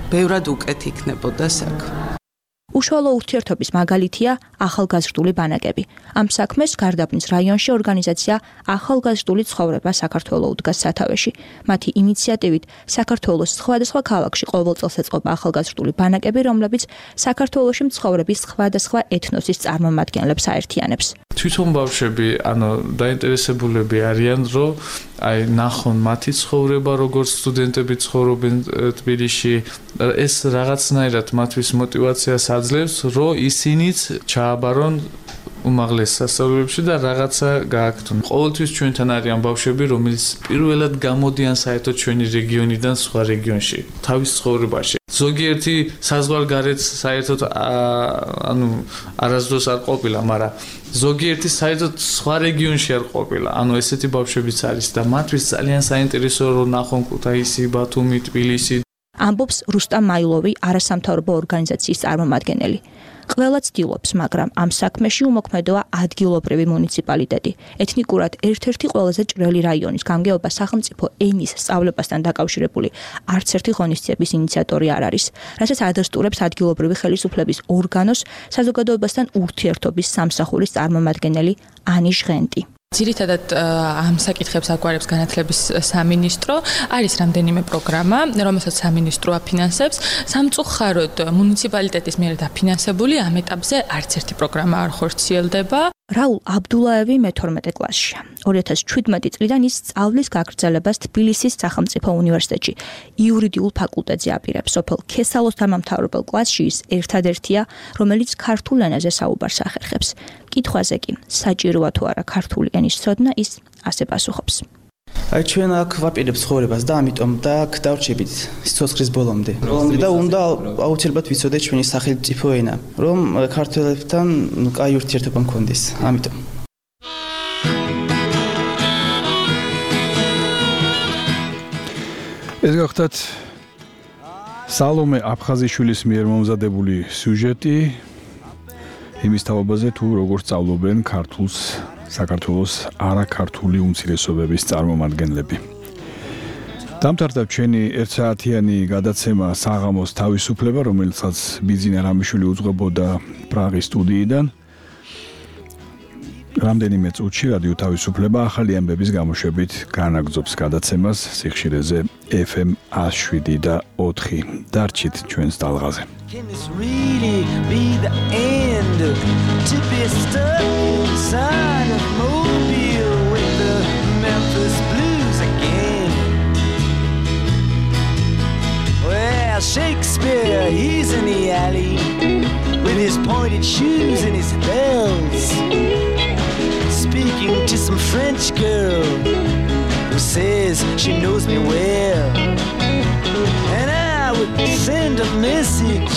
ბევრად უკეთ იქნებოდა საქმე. უშუალო ურთიერთობის მაგალითია ახალგაზრდული ბანაკები. ამ საქმეს გარდაბნის რაიონში ორგანიზაცია ახალგაზრდული ცხოვრება საქართველოს უდგას სათავეში. მათი ინიციატივით საქართველოს სხვადასხვა ქალაქში ყოველ წელს ეწყობა ახალგაზრდული ბანაკები, რომლებიც საქართველოში მცხოვრების სხვადასხვა ეთნოსის წარმომადგენლებს აერთიანებს. თვითონ ბავშვები, დაინტერესებულები არიან, რომ ნახონ მათი ცხოვრება, როგორც სტუდენტები ცხოვრობენ თბილისში. ეს რაღაცნაირად მათთვის მოტივაციას აძლევს, რომ ისინიც ჩააბარონ უმაღლეს სასწავლებლებში და რაღაცა გააკეთონ. ყოველთვის ჩვენთან არიან ბავშვები, რომლებიც პირველად გამოდიან საერთოდ ჩვენი რეგიონიდან სხვა რეგიონში, თავის ცხოვრებაში. ზოგიერთი საზღვარგარეთ საერთოდ არასდროს არ ყოფილა, მაგრამ ზოგიერთი საერთოდ სხვა რეგიონში არ ყოფილა. ესეთი ბავშვებიც არის და მათთვის ძალიან საინტერესოა რომ ნახონ ქუთაისი, ბათუმი, თბილისი. ამბობს რუსტამ მაილოვი, არასამთავრობო ორგანიზაციის წარმომადგენელი. ყველა ცდილობს, მაგრამ ამ საქმეში უმოქმედოა ადგილობრივი მუნიციპალიტეტი. ეთნიკურად ერთ-ერთი ყველაზე ჭრელი რაიონის გამგეობა სახელმწიფო ენის სწავლებასთან დაკავშირებული არც ერთი ღონისძიების ინიციატორი არ არის, რასაც ადასტურებს ადგილობრივი ხელისუფლების ორგანოს საზოგადოებასთან ურთიერთობის სამსახურის წარმომადგენელი ანი ჟღენტი. ძირითადად ამ საკითხებს აგვარებს განათლების სამინისტრო, არის რამდენიმე პროგრამა, რომელსაც სამინისტრო აფინანსებს. სამწუხაროდ მუნიციპალიტეტის მიერ დაფინანსებული ამ ეტაპზე არც ერთი პროგრამა არ ხორციელდება. რაულ აბდულაევი მე-12 კლასშია. 2017 წლიდან ის სწავლის გაგრძელებას თბილისის სახელმწიფო უნივერსიტეტში იურიდიულ ფაკულტეტზე აპირებს. სოფელ ქესალოს დამამთავრებელ კლასში ის ერთადერთია, რომელიც ქართულ ენაზე საუბარს ახერხებს. კითხვაზე კი, საჭიროა თუ არა ქართული ენის ცოდნა, ის ასე პასუხობს. ჩვენ აქ ვაპირებთ ცხოვრებას და ამიტომ და აქ დავრჩებით სიცოცხლის ბოლომდე. და უნდა აუცილებლად ვიცოდეთ ჩვენი სახელმწიფო ენა, რომ ქართველებთან კაი ურთიერთობა მქონდეს. ამიტომ ეს გახლავთ სალომე აფხაზიშვილის მიერ მომზადებული სიუჟეტი იმის თაობაზე თუ როგორ სწავლობენ ქართულს საქართველოს არაქართული უმცირესობების წარმომადგენლები. დამთავრდა ჩვენი ერთსაათიანი გადაცემა საღამოს თავისუფლება, რომელსაც ბიძინა რამიშვილი უძღვებოდა პრაღის სტუდიიდან. რამდენიმე წუთში რადიო თავისუფლება ახალი ამბების გამოშვებით განაგრძობს გადაცემას სიხშირეზე FM 107 და 4. დარჩით ჩვენს ტალღაზე. Can this really be the end? To be stuck inside of Mobile with the Memphis Blues again. Well, Shakespeare, he's in the alley with his pointed shoes and his bells, speaking to some French girl who says she knows me well. And I would send a message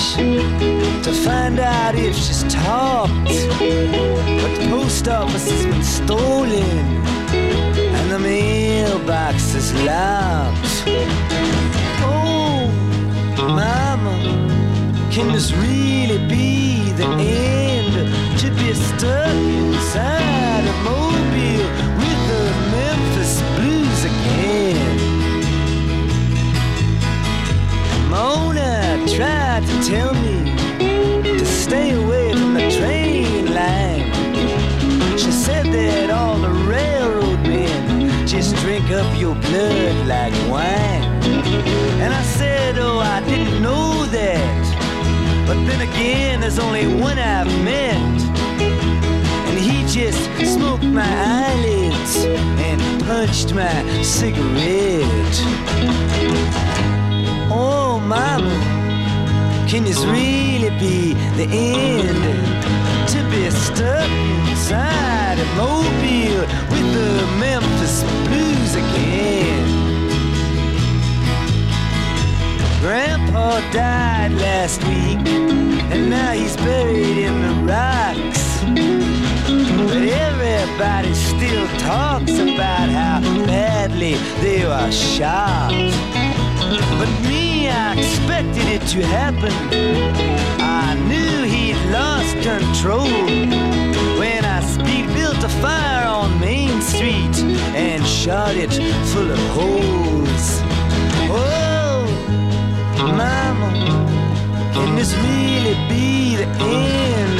to find out if she's talked, but the post office has been stolen and the mailbox is locked. Oh, mama, can this really be the end? To be stuck inside a Mobile with the Memphis Blues again. Mona tried to tell me to stay away from the train line. She said that all the railroad men just drink up your blood like wine. And I said, oh, I didn't know that. But then again, there's only one I've met, and he just smoked my eyelids and punched my cigarette. Oh, mama, can this really be the end? To be stuck inside a Mobile with the Memphis Blues again. Grandpa died last week, and now he's buried in the rocks. But everybody still talks about how badly they were shot. But me, I expected it to happen. I knew he'd lost control when I built a fire on Main Street and shot it full of holes. Oh, mama, can this really be the the end.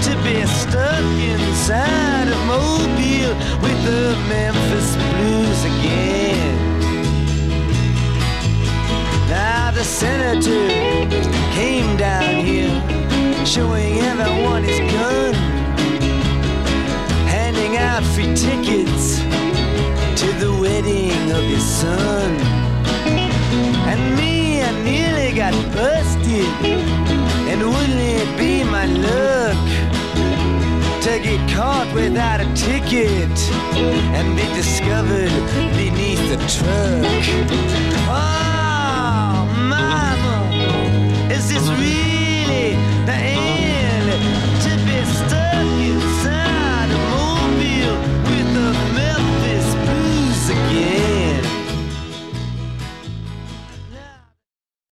To be stuck inside of Mobile with the Memphis Blues again. Now the senator came down here, showing everyone his gun, handing out free tickets to the wedding of his son. And me, I nearly got busted, and wouldn't it be my luck to get caught without a ticket and be discovered beneath the truck. Oh,